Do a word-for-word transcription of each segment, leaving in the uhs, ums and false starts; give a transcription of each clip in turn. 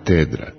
katedra.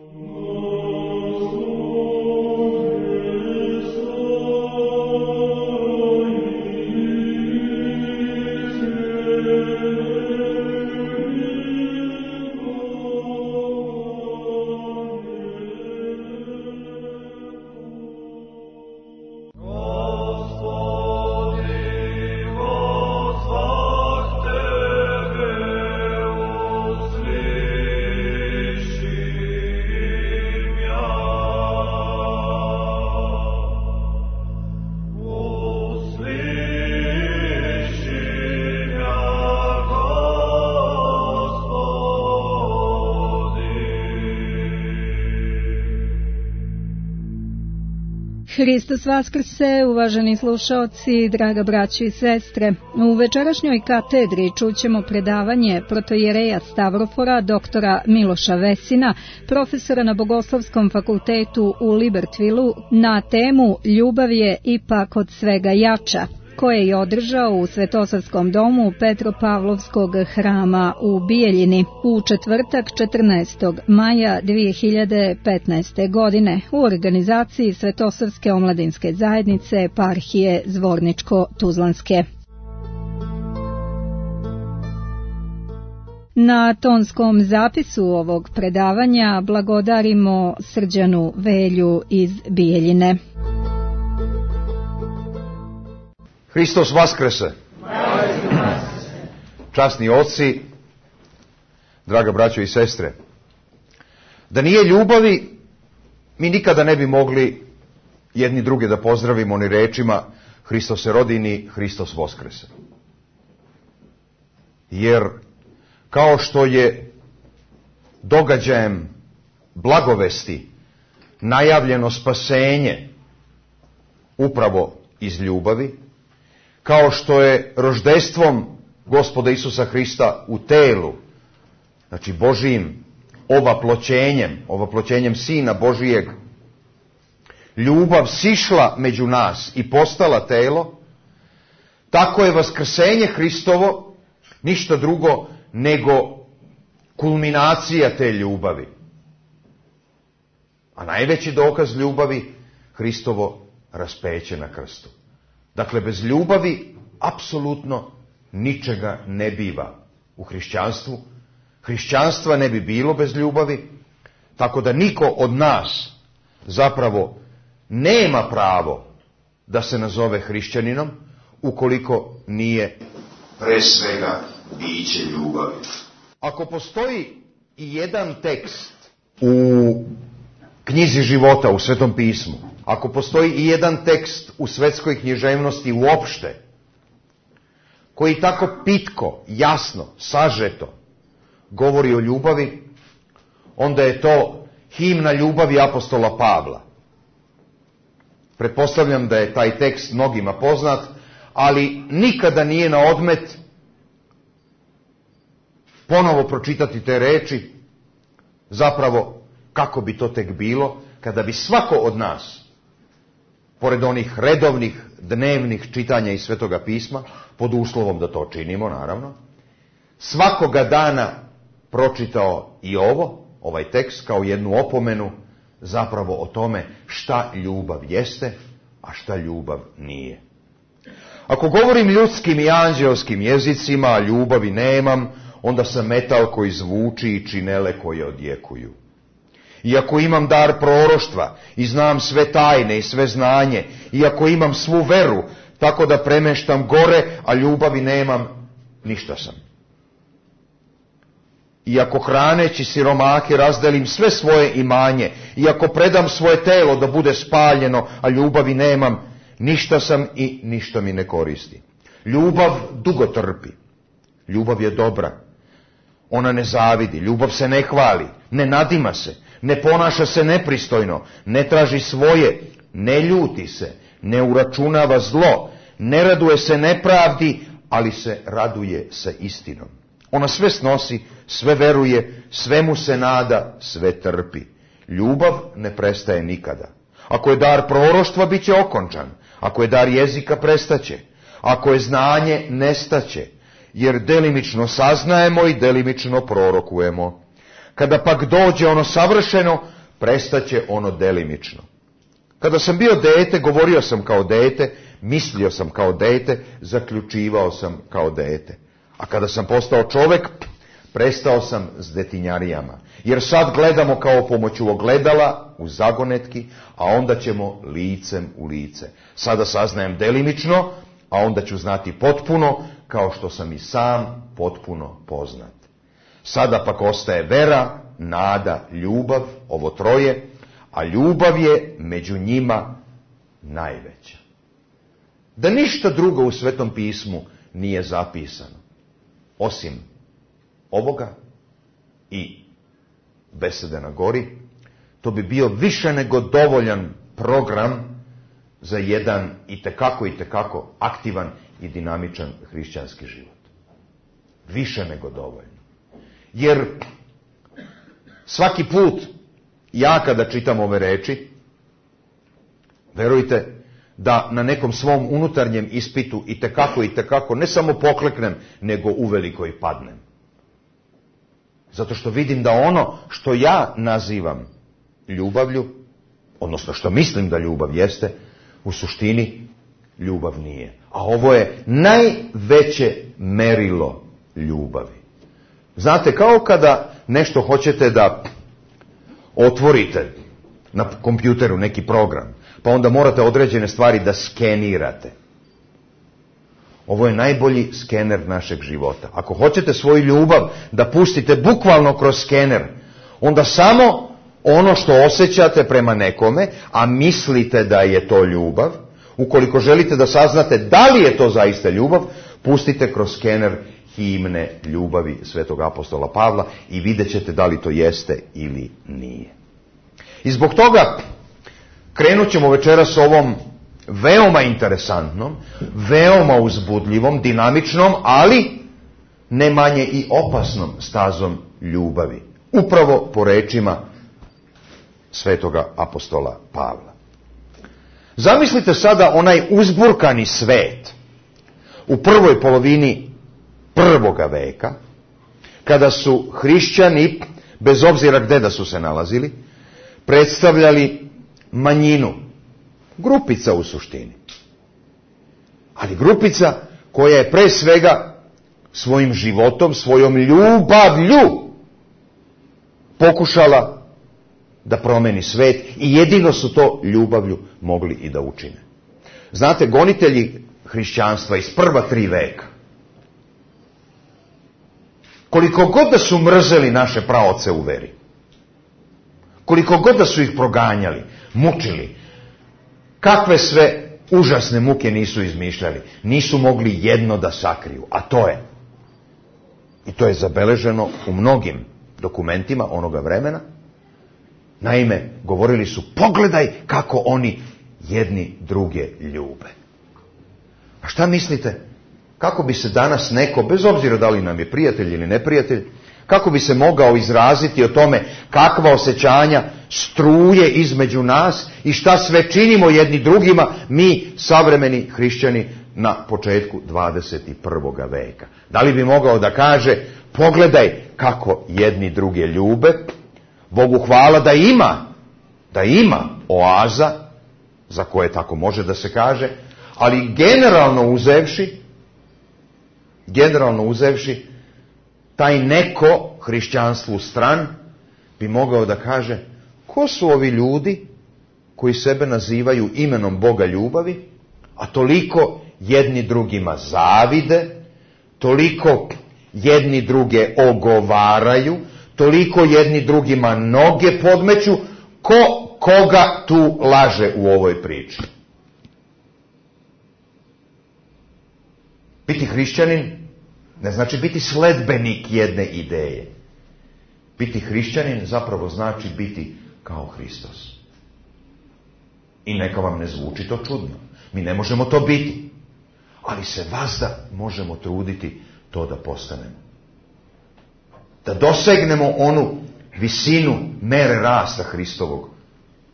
Hristos vaskrse, uvaženi slušaoci, draga braćo i sestre. U večerašnjoj katedri čućemo predavanje protojereja Stavrofora, doktora Miloša Vesina, profesora na Bogoslovskom fakultetu u Libertvilu, na temu Ljubav je ipak od svega jača, koje je održao u Svetosavskom domu Petropavlovskog hrama u Bijeljini u četvrtak četrnaestog maja dvije hiljade petnaeste. godine u organizaciji Svetosavske omladinske zajednice eparhije Zvorničko-Tuzlanske. Na tonskom zapisu ovog predavanja blagodarimo Srđanu Velju iz Bijeljine. Hristos vaskrese. Časni oci, draga braćo i sestre, da nije ljubavi, mi nikada ne bi mogli jedni druge da pozdravimo ni rečima Hristos se rodi ni Hristos vaskrese. Jer kao što je događajem blagovesti najavljeno spasenje upravo iz ljubavi, kao što je roždestvom Gospoda Isusa Hrista u telu, znači Božijim ovaploćenjem, ovaploćenjem Sina Božijeg, ljubav sišla među nas i postala telo, tako je vaskrsenje Hristovo ništa drugo nego kulminacija te ljubavi. A najveći dokaz ljubavi Hristovo raspeće na krstu. Dakle, bez ljubavi apsolutno ničega ne biva u hrišćanstvu. Hrišćanstva ne bi bilo bez ljubavi, tako da niko od nas zapravo nema pravo da se nazove hrišćaninom ukoliko nije pre svega biće ljubavi. Ako postoji i jedan tekst u knjizi života, u Svetom pismu, ako postoji i jedan tekst u svetskoj književnosti uopšte, koji tako pitko, jasno, sažeto govori o ljubavi, onda je to himna ljubavi apostola Pavla. Pretpostavljam da je taj tekst mnogima poznat, ali nikada nije na odmet ponovo pročitati te reči, zapravo kako bi to tek bilo kada bi svako od nas, pored onih redovnih dnevnih čitanja iz Svetoga pisma, pod uslovom da to činimo, naravno, svakoga dana pročitao i ovo, ovaj tekst, kao jednu opomenu zapravo o tome šta ljubav jeste, a šta ljubav nije. Ako govorim ljudskim i anđelskim jezicima, a ljubavi nemam, onda sam metal koji zvuči i činele koje odjekuju. I ako imam dar proroštva i znam sve tajne i sve znanje, i ako imam svu veru, tako da premeštam gore, a ljubavi nemam, ništa sam. I ako hraneći siromahe razdelim sve svoje imanje, i ako predam svoje telo da bude spaljeno, a ljubavi nemam, ništa sam i ništa mi ne koristi. Ljubav dugo trpi. Ljubav je dobra. Ona ne zavidi, ljubav se ne hvali, ne nadima se, ne ponaša se nepristojno, ne traži svoje, ne ljuti se, ne uračunava zlo, ne raduje se nepravdi, ali se raduje sa istinom. Ona sve snosi, sve veruje, svemu se nada, sve trpi. Ljubav ne prestaje nikada. Ako je dar proroštva, bit će okončan. Ako je dar jezika, prestaće. Ako je znanje, nestaće. Jer delimično saznajemo i delimično prorokujemo. Kada pak dođe ono savršeno, prestaće ono delimično. Kada sam bio dete, govorio sam kao dete, mislio sam kao dete, zaključivao sam kao dete. A kada sam postao čovek, prestao sam s detinjarijama. Jer sad gledamo kao pomoću ogledala u zagonetki, a onda ćemo licem u lice. Sada saznajem delimično, a onda ću znati potpuno, kao što sam i sam potpuno poznat. Sada pak ostaje vera, nada, ljubav, ovo troje, a ljubav je među njima najveća. Da ništa drugo u Svetom pismu nije zapisano, osim ovoga i besede na gori, to bi bio više nego dovoljan program za jedan itekako, itekako aktivan i dinamičan hrišćanski život. Više nego dovoljno. Jer svaki put ja kada čitam ove reči, verujte da na nekom svom unutarnjem ispitu itekako, itekako ne samo pokleknem, nego uveliko i padnem. Zato što vidim da ono što ja nazivam ljubavlju, odnosno što mislim da ljubav jeste, u suštini ljubav nije. A ovo je najveće merilo ljubavi. Znate, kao kada nešto hoćete da otvorite na kompjuteru neki program, pa onda morate određene stvari da skenirate. Ovo je najbolji skener našeg života. Ako hoćete svoju ljubav da pustite bukvalno kroz skener, onda samo ono što osjećate prema nekome, a mislite da je to ljubav, ukoliko želite da saznate da li je to zaista ljubav, pustite kroz skener himne ljubavi svetog apostola Pavla i vidjet ćete da li to jeste ili nije. I zbog toga krenut ćemo večeras ovom veoma interesantnom, veoma uzbudljivom, dinamičnom, ali ne manje i opasnom stazom ljubavi. Upravo po rečima svetoga apostola Pavla. Zamislite sada onaj uzburkani svet u prvoj polovini prvoga veka, kada su hrišćani, bez obzira gde da su se nalazili, predstavljali manjinu, grupica u suštini. Ali grupica koja je pre svega svojim životom, svojom ljubavlju pokušala da promeni svet i jedino su to ljubavlju mogli i da učine. Znate, gonitelji hrišćanstva iz prva tri veka, koliko god da su mrzeli naše praoce u veri, koliko god da su ih proganjali, mučili, kakve sve užasne muke nisu izmišljali, nisu mogli jedno da sakriju, a to je, i to je zabeleženo u mnogim dokumentima onoga vremena. Naime, govorili su, pogledaj kako oni jedni druge ljube. A šta mislite, kako bi se danas neko, bez obzira da li nam je prijatelj ili neprijatelj, kako bi se mogao izraziti o tome kakva osjećanja struje između nas i šta sve činimo jedni drugima, mi savremeni hrišćani na početku dvadeset prvog veka. Da li bi mogao da kaže, pogledaj kako jedni druge ljube, Bogu hvala da ima, da ima oaza, za koje tako može da se kaže, ali generalno uzevši, generalno uzevši, taj neko hrišćanstvu stran bi mogao da kaže, ko su ovi ljudi koji sebe nazivaju imenom Boga ljubavi, a toliko jedni drugima zavide, toliko jedni druge ogovaraju, toliko jedni drugima noge podmeću, ko koga tu laže u ovoj priči? Biti hrišćanin ne znači biti sledbenik jedne ideje. Biti hrišćanin zapravo znači biti kao Hristos. I neka vam ne zvuči to čudno. Mi ne možemo to biti. Ali se vazda možemo truditi to da postanemo. Da dosegnemo onu visinu mere rasta Hristovog,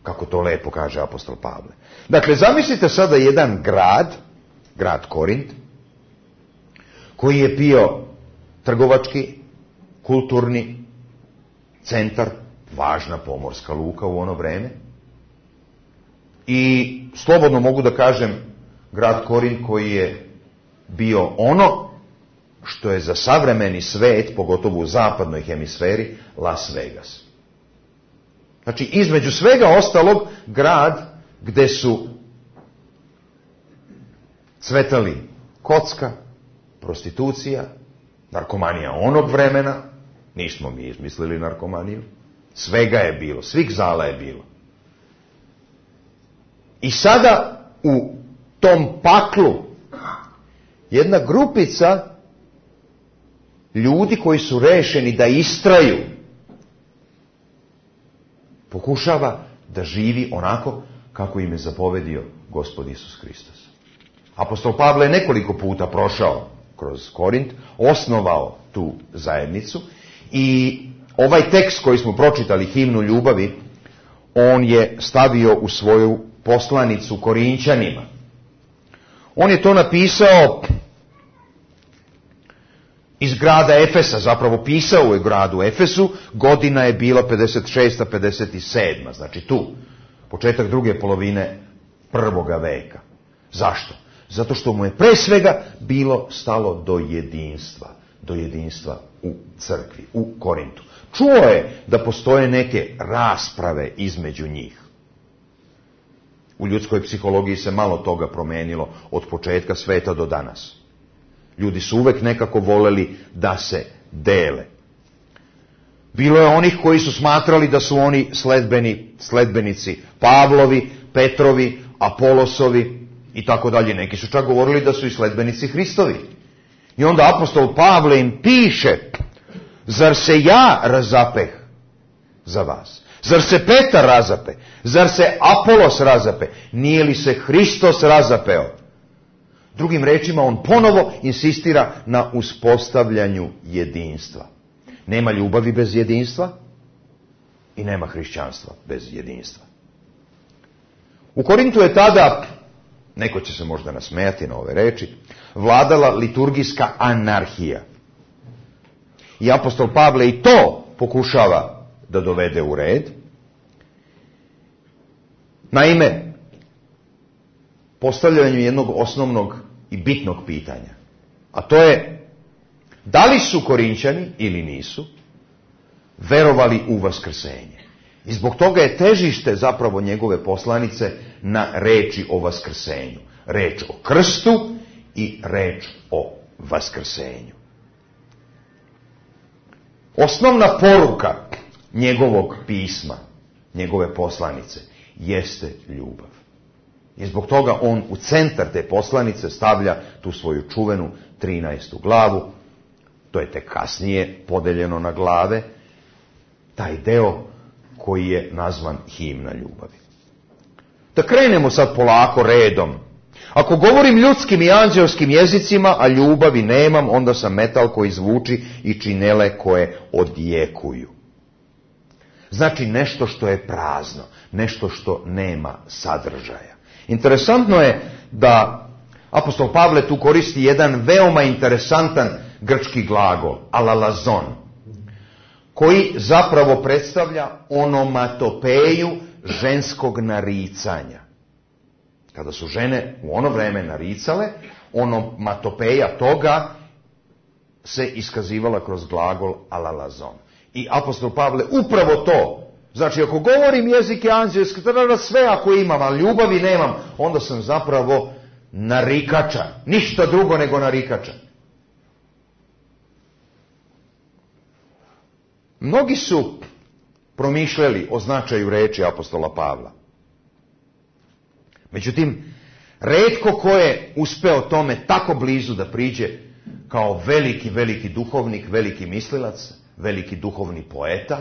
kako to lepo kaže apostol Pavle. Dakle, zamislite sada jedan grad, grad Korint, koji je bio trgovački, kulturni, centar, važna pomorska luka u ono vreme. I slobodno mogu da kažem, grad Korint koji je bio ono što je za savremeni svet, pogotovo u zapadnoj hemisferi, Las Vegas. Znači, između svega ostalog, grad gde su cvetali kocka, prostitucija, narkomanija onog vremena, nismo mi izmislili narkomaniju, svega je bilo, svih zala je bilo. I sada u tom paklu jedna grupica ljudi koji su rešeni da istraju pokušava da živi onako kako im je zapovedio Gospod Isus Hristos. Apostol Pavle je nekoliko puta prošao kroz Korint, osnovao tu zajednicu i ovaj tekst koji smo pročitali, himnu ljubavi, on je stavio u svoju poslanicu Korinćanima. On je to napisao iz grada Efesa, zapravo pisao u gradu Efesu, godina je bila pedeset šesta pedeset sedma, znači tu, početak druge polovine prvoga veka. Zašto? Zato što mu je pre svega bilo stalo do jedinstva, do jedinstva u crkvi, u Korintu. Čuo je da postoje neke rasprave između njih. U ljudskoj psihologiji se malo toga promenilo od početka sveta do danas. Ljudi su uvek nekako voleli da se dele. Bilo je onih koji su smatrali da su oni sledbeni, sledbenici Pavlovi, Petrovi, Apolosovi i tako dalje. Neki su čak govorili da su i sledbenici Hristovi. I onda apostol Pavle im piše: zar se ja razapeh za vas? Zar se Petar razape? Zar se Apolos razape? Nije li se Hristos razapeo? Drugim rečima, on ponovo insistira na uspostavljanju jedinstva. Nema ljubavi bez jedinstva i nema hrišćanstva bez jedinstva. U Korintu je tada, neko će se možda nasmejati na ove reči, vladala liturgijska anarhija. I apostol Pavle i to pokušava da dovede u red. Naime, postavljanju jednog osnovnog i bitnog pitanja, a to je: da li su Korinćani ili nisu verovali u vaskrsenje? I zbog toga je težište zapravo njegove poslanice na reči o vaskrsenju. Reč o krstu i reč o vaskrsenju. Osnovna poruka njegovog pisma, njegove poslanice, jeste ljubav. I zbog toga on u centar te poslanice stavlja tu svoju čuvenu trinaestu glavu. To je tek kasnije podeljeno na glave. Taj deo koji je nazvan himna ljubavi. Da krenemo sad polako redom. Ako govorim ljudskim i anđelskim jezicima, a ljubavi nemam, onda sam metal koji zvuči i činele koje odjekuju. Znači nešto što je prazno, nešto što nema sadržaja. Interesantno je da apostol Pavle tu koristi jedan veoma interesantan grčki glagol, alalazon, koji zapravo predstavlja onomatopeju ženskog naricanja. Kada su žene u ono vreme naricale, onomatopeja toga se iskazivala kroz glagol alalazon. I apostol Pavle upravo to, znači ako govorim jezike anđelske, tada sve ako imam, a ljubavi nemam, onda sam zapravo narikača, ništa drugo nego narikača. Mnogi su promišljali o značaju reči apostola Pavla. Međutim, retko ko je uspeo tome tako blizu da priđe kao veliki, veliki duhovnik, veliki mislilac, veliki duhovni poeta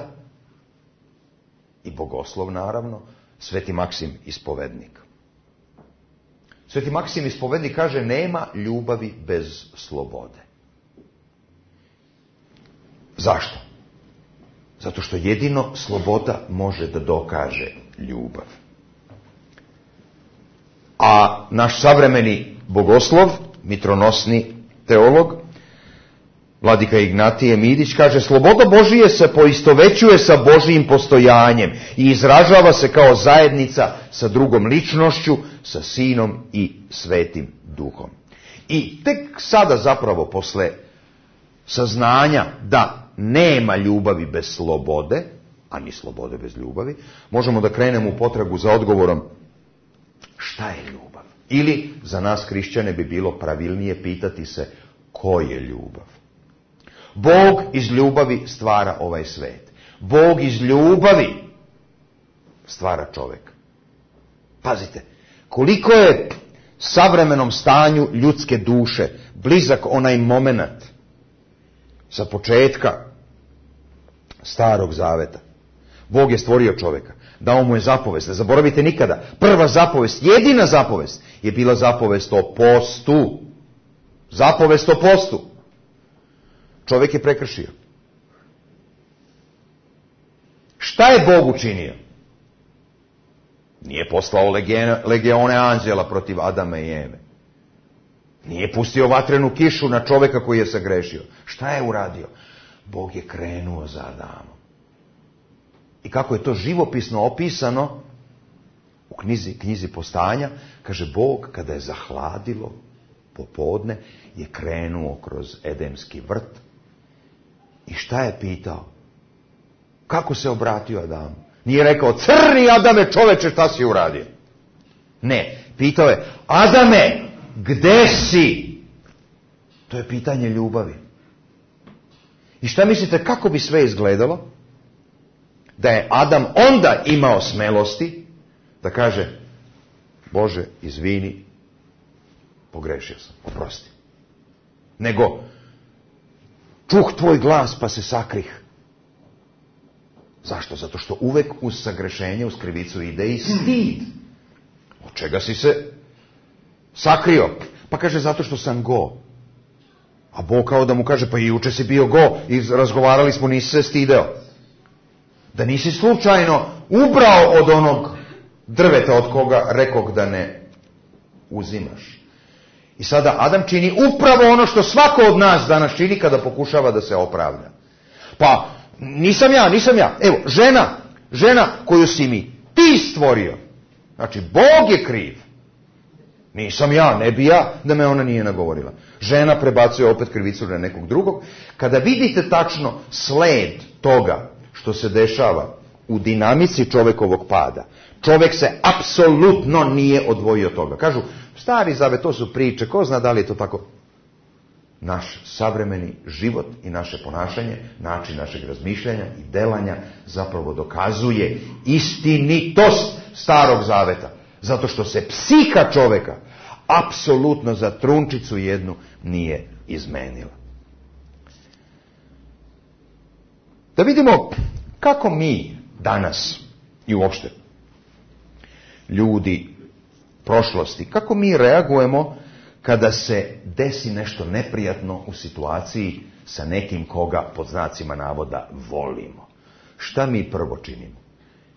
i bogoslov, naravno, Sveti Maksim Ispovednik. Sveti Maksim Ispovednik kaže: nema ljubavi bez slobode. Zašto? Zato što jedino sloboda može da dokaže ljubav. A naš savremeni bogoslov, mitronosni teolog, Vladika Ignatije Midić kaže, sloboda Božije se poistovećuje sa Božijim postojanjem i izražava se kao zajednica sa drugom ličnošću, sa Sinom i Svetim Duhom. I tek sada zapravo posle saznanja da nema ljubavi bez slobode, a ni slobode bez ljubavi, možemo da krenemo u potragu za odgovorom šta je ljubav. Ili za nas hrišćane bi bilo pravilnije pitati se ko je ljubav. Bog iz ljubavi stvara ovaj svet. Bog iz ljubavi stvara čovjeka. Pazite, koliko je savremenom stanju ljudske duše blizak onaj moment sa početka Starog Zaveta. Bog je stvorio čovjeka, dao mu je zapovest. Ne zaboravite nikada, prva zapovest, jedina zapovest je bila zapovest o postu. Zapovest o postu. Čovjek je prekršio. Šta je Bog učinio? Nije poslao legione anđela protiv Adama i Eve. Nije pustio vatrenu kišu na čovjeka koji je sagrešio. Šta je uradio? Bog je krenuo za Adamom. I kako je to živopisno opisano u knjizi, knjizi Postanja, kaže Bog kada je zahladilo popodne je krenuo kroz Edemski vrt. I šta je pitao? Kako se obratio Adamu? Nije rekao, crni Adame čoveče, šta si uradio? Ne, pitao je, Adame, gde si? To je pitanje ljubavi. I šta mislite, kako bi sve izgledalo? Da je Adam onda imao smelosti da kaže, Bože, izvini, pogrešio sam, oprosti. Nego, čuh tvoj glas pa se sakrih. Zašto? Zato što uvek uz sagrešenje, uz krivicu ide i stid. Od čega si se sakrio? Pa kaže, zato što sam go. A Bog kao da mu kaže, pa i juče si bio go i razgovarali smo, nisi se stideo. Da nisi slučajno ubrao od onog drveta od koga rekog da ne uzimaš. I sada Adam čini upravo ono što svako od nas danas čini kada pokušava da se opravda. Pa, nisam ja, nisam ja. Evo, žena, žena koju si mi ti stvorio. Znači, Bog je kriv. Nisam ja, ne bi ja, da me ona nije nagovorila. Žena prebacuje opet krivicu na nekog drugog. Kada vidite tačno sled toga što se dešava u dinamici čovjekovog pada, čovjek se apsolutno nije odvojio od toga. Kažu, Stari Zavet, to su priče, ko zna da li je to tako? Naš savremeni život i naše ponašanje, način našeg razmišljanja i delanja zapravo dokazuje istinitost Starog Zaveta. Zato što se psiha čovjeka apsolutno za trunčicu jednu nije izmenila. Da vidimo kako mi danas i uopšte ljudi prošlosti, kako mi reagujemo kada se desi nešto neprijatno u situaciji sa nekim koga pod znacima navoda volimo. Šta mi prvo činimo?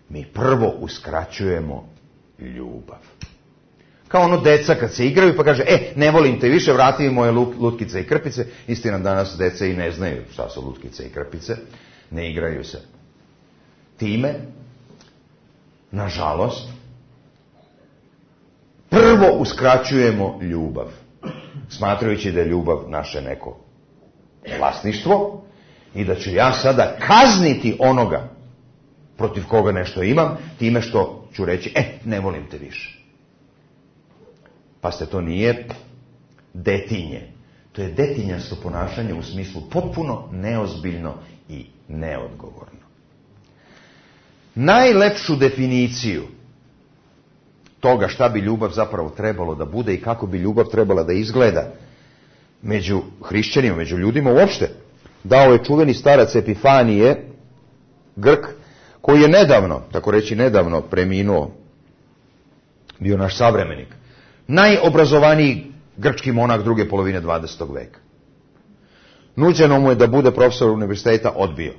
Mi prvo uskraćujemo ljubav. Kao ono deca kad se igraju pa kaže, e, ne volim te više, vrati mi moje lutkice i krpice. Istina, danas deca i ne znaju šta su lutkice i krpice. Ne igraju se. Time, nažalost, prvo uskraćujemo ljubav. Smatrajući da je ljubav naše neko vlasništvo i da ću ja sada kazniti onoga protiv koga nešto imam, time što ću reći, e, ne volim te više. Pa ste, to nije detinje. To je detinjasto ponašanje u smislu potpuno neozbiljno i neodgovorno. Najlepšu definiciju toga šta bi ljubav zapravo trebalo da bude i kako bi ljubav trebala da izgleda među hrišćanima, među ljudima uopšte, dao je čuveni starac Epifanije, Grk, koji je nedavno, tako reći nedavno, preminuo, bio naš savremenik, najobrazovaniji grčki monah druge polovine dvadesetog veka. Nuđeno mu je da bude profesor univerziteta, odbio.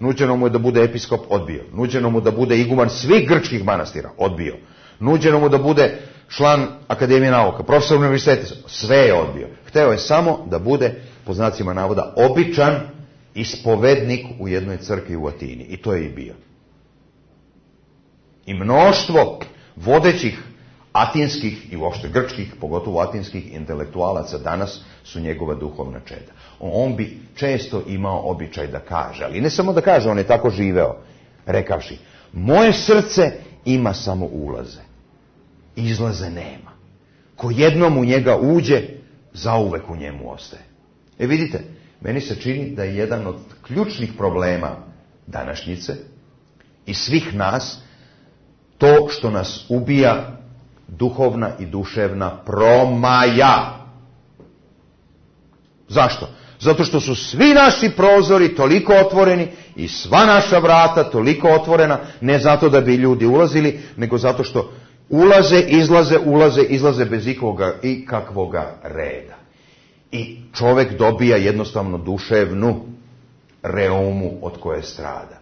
Nuđeno mu je da bude episkop, odbio. Nuđeno mu da bude iguman svih grčkih manastira, odbio. Nuđeno mu da bude član Akademije nauka, profesor univerziteta, sve je odbio. Hteo je samo da bude po znacima navoda, običan ispovednik u jednoj crkvi u Atini. I to je i bio. I mnoštvo vodećih atinskih i uopšte grčkih, pogotovo atinskih intelektualaca danas su njegova duhovna čeda. On bi često imao običaj da kaže, ali ne samo da kaže, on je tako živeo, rekavši, moje srce ima samo ulaze, izlaze nema. Ko jednom u njega uđe, zauvek u njemu ostaje. E vidite, meni se čini da je jedan od ključnih problema današnjice i svih nas to što nas ubija duhovna i duševna promaja. Zašto? Zato što su svi naši prozori toliko otvoreni i sva naša vrata toliko otvorena, ne zato da bi ljudi ulazili, nego zato što ulaze, izlaze, ulaze, izlaze bez ikoga, ikakvoga reda. I čovjek dobija jednostavno duševnu reumu od koje strada.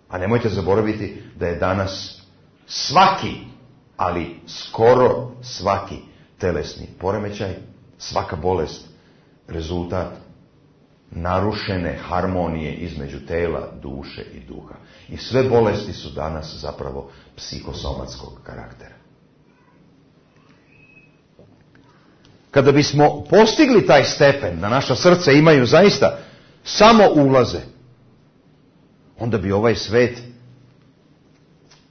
A nemojte zaboraviti da je danas svaki, ali skoro svaki telesni poremećaj, svaka bolest, rezultat narušene harmonije između tela, duše i duha. I sve bolesti su danas zapravo psihosomatskog karaktera. Kada bismo postigli taj stepen da naša srca imaju zaista samo ulaze, onda bi ovaj svet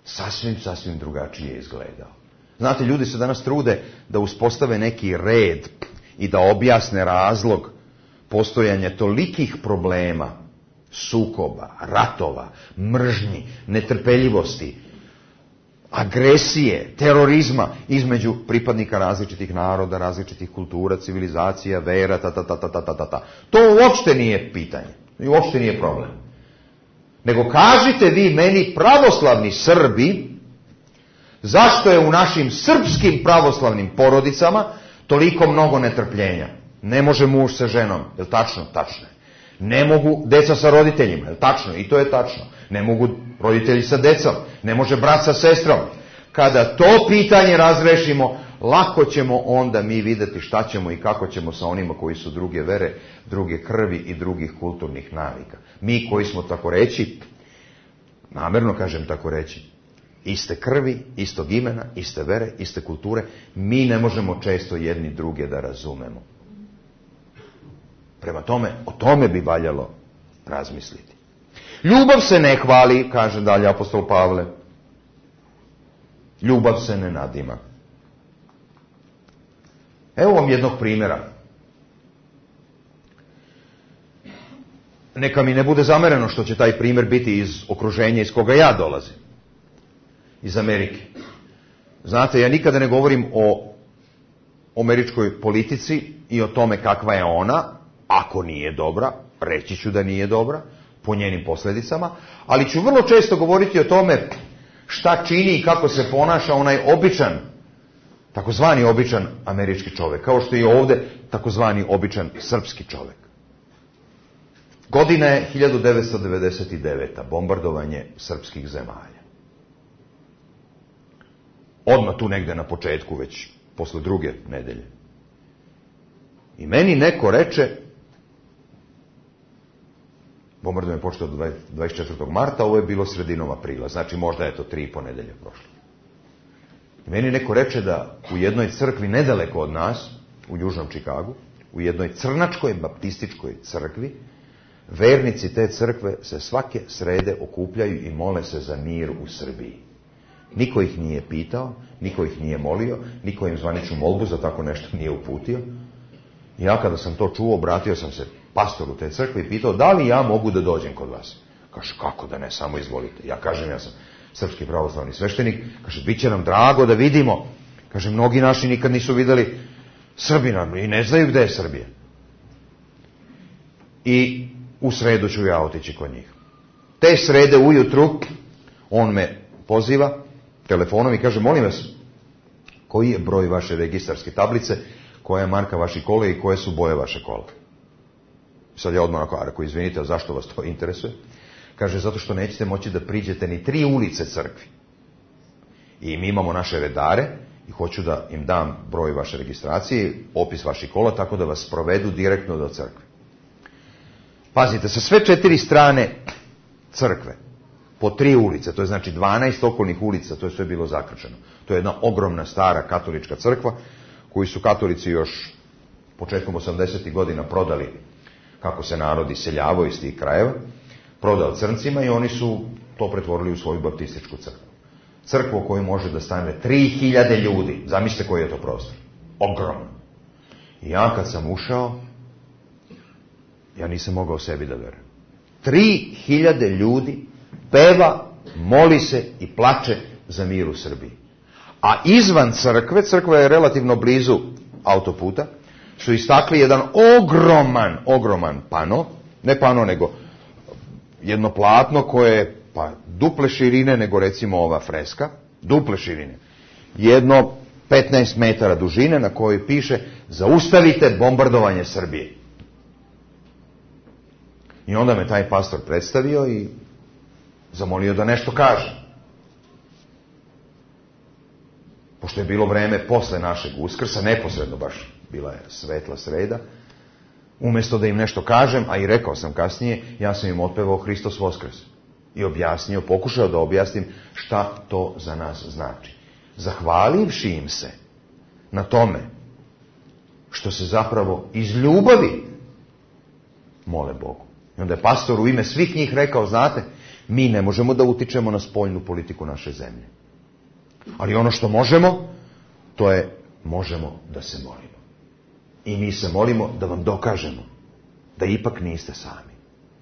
sasvim, sasvim drugačije izgledao. Znate, ljudi se danas trude da uspostave neki red i da objasne razlog postojanja tolikih problema, sukoba, ratova, mržnji, netrpeljivosti, agresije, terorizma između pripadnika različitih naroda, različitih kultura, civilizacija, vera, ta, ta, ta, ta, ta, ta, ta. To uopšte nije pitanje, uopšte nije problem. Nego kažite vi meni, pravoslavni Srbi, zašto je u našim srpskim pravoslavnim porodicama toliko mnogo netrpljenja? Ne može muž sa ženom, je li tačno? Tačno je. Ne mogu deca sa roditeljima, je li tačno? I to je tačno. Ne mogu roditelji sa decom, ne može brat sa sestrom. Kada to pitanje razrešimo, lako ćemo onda mi vidjeti šta ćemo i kako ćemo sa onima koji su druge vere, druge krvi i drugih kulturnih navika. Mi koji smo, tako reći, namjerno kažem tako reći, iste krvi, istog imena, iste vere, iste kulture, mi ne možemo često jedni druge da razumemo. Prema tome, o tome bi valjalo razmisliti. Ljubav se ne hvali, kaže dalje apostol Pavle. Ljubav se ne nadima. Evo vam jednog primjera. Neka mi ne bude zamereno što će taj primjer biti iz okruženja iz koga ja dolazim. Iz Amerike. Znate, ja nikada ne govorim o američkoj politici i o tome kakva je ona, ako nije dobra, reći ću da nije dobra, po njenim posljedicama, ali ću vrlo često govoriti o tome šta čini i kako se ponaša onaj običan, takozvani običan američki čovjek, kao što je ovdje takozvani običan srpski čovjek. Godina je hiljadu devetsto devedeset deveta. Bombardovanje srpskih zemalja. Odmah tu negde na početku, već posle druge nedelje. I meni neko reče, bombardovanje je počelo dvadeset četvrtog marta, ovo je bilo sredinom aprila, znači možda je to tri i po nedelje prošlo. I meni neko reče da u jednoj crkvi nedaleko od nas, u južnom Čikagu, u jednoj crnačkoj baptističkoj crkvi, vernici te crkve se svake srede okupljaju i mole se za mir u Srbiji. Niko ih nije pitao, niko ih nije molio, niko im zvaničnu molbu za tako nešto nije uputio. I ja kada sam to čuo, obratio sam se pastoru te crkve i pitao da li ja mogu da dođem kod vas. Kaže, kako da ne, samo izvolite. Ja kažem, ja sam srpski pravoslavni sveštenik. Kaže, bit će nam drago da vidimo. Kaže, mnogi naši nikad nisu vidjeli Srbina i ne znaju gde je Srbija. I u sredu ću ja otići kod njih. Te srede ujutru on me poziva telefonom i kaže, molim vas, koji je broj vaše registarske tablice, koja je marka vaših kola i koje su boje vaše kola. Sad ja odmah onako, rekao, izvinite, a zašto vas to interesuje? Kaže, zato što nećete moći da priđete ni tri ulice crkvi. I mi imamo naše redare i hoću da im dam broj vaše registracije, opis vaših kola, tako da vas provedu direktno do crkve. Pazite, sa sve četiri strane crkve, po tri ulice, to je znači dvanaest okolnih ulica, to je sve bilo zakrčeno. To je jedna ogromna stara katolička crkva, koju su katolici još početkom osamdesetih godina prodali, kako se narod iseljavao iz tih krajeva, prodao crncima i oni su to pretvorili u svoju baptističku crkvu. Crkvu u kojoj može da stane tri hiljade ljudi. Zamislite koji je to prostor. Ogromno. I ja kad sam ušao, ja nisam mogao sebi da verujem. Tri hiljade ljudi peva, moli se i plače za mir u Srbiji. A izvan crkve, crkva je relativno blizu autoputa, su istakli jedan ogroman, ogroman pano, ne pano nego jedno platno koje je pa duple širine nego recimo ova freska, duple širine. Jedno petnaest metara dužine na kojoj piše zaustavite bombardovanje Srbije. I onda me taj pastor predstavio i zamolio da nešto kaže. Pošto je bilo vreme posle našeg Uskrsa, neposredno baš bila je svetla sreda, umjesto da im nešto kažem, a i rekao sam kasnije, ja sam im otpevao Hristos Voskrs. I objasnio, pokušao da objasnim šta to za nas znači. Zahvalivši im se na tome što se zapravo iz ljubavi mole Bogu. I onda je pastor u ime svih njih rekao, znate, mi ne možemo da utičemo na spoljnu politiku naše zemlje. Ali ono što možemo, to je možemo da se molimo. I mi se molimo da vam dokažemo da ipak niste sami.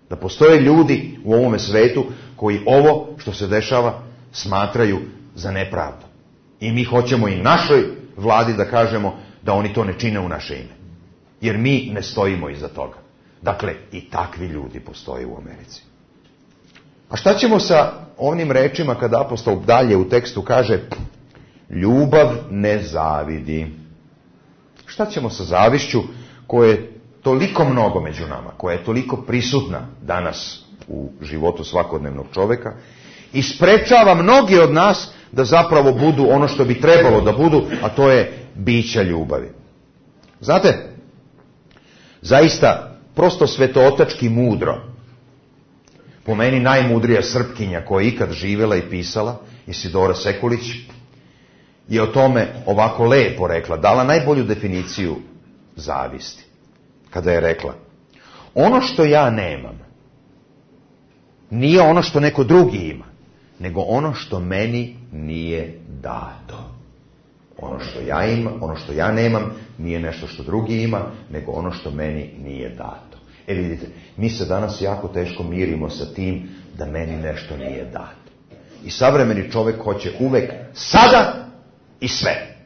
Da postoje ljudi u ovome svetu koji ovo što se dešava smatraju za nepravdu. I mi hoćemo i našoj vladi da kažemo da oni to ne čine u naše ime. Jer mi ne stojimo iza toga. Dakle, i takvi ljudi postoje u Americi. A šta ćemo sa onim rečima kada apostol dalje u tekstu kaže ljubav ne zavidi? Šta ćemo sa zavišću koja je toliko mnogo među nama, koja je toliko prisutna danas u životu svakodnevnog čoveka i sprečava mnogi od nas da zapravo budu ono što bi trebalo da budu, a to je bića ljubavi. Znate, zaista prosto svetootački mudro, po meni najmudrija Srpkinja koja je ikad živjela i pisala, Isidora Sekulić, je o tome ovako lepo rekla, dala najbolju definiciju zavisti. Kada je rekla, ono što ja nemam, nije ono što neko drugi ima, nego ono što meni nije dato. Ono što ja imam, ono što ja nemam, nije nešto što drugi ima, nego ono što meni nije dato. E vidite, mi se danas jako teško mirimo sa tim da meni nešto nije dato. I savremeni čovjek hoće uvek sada i sve.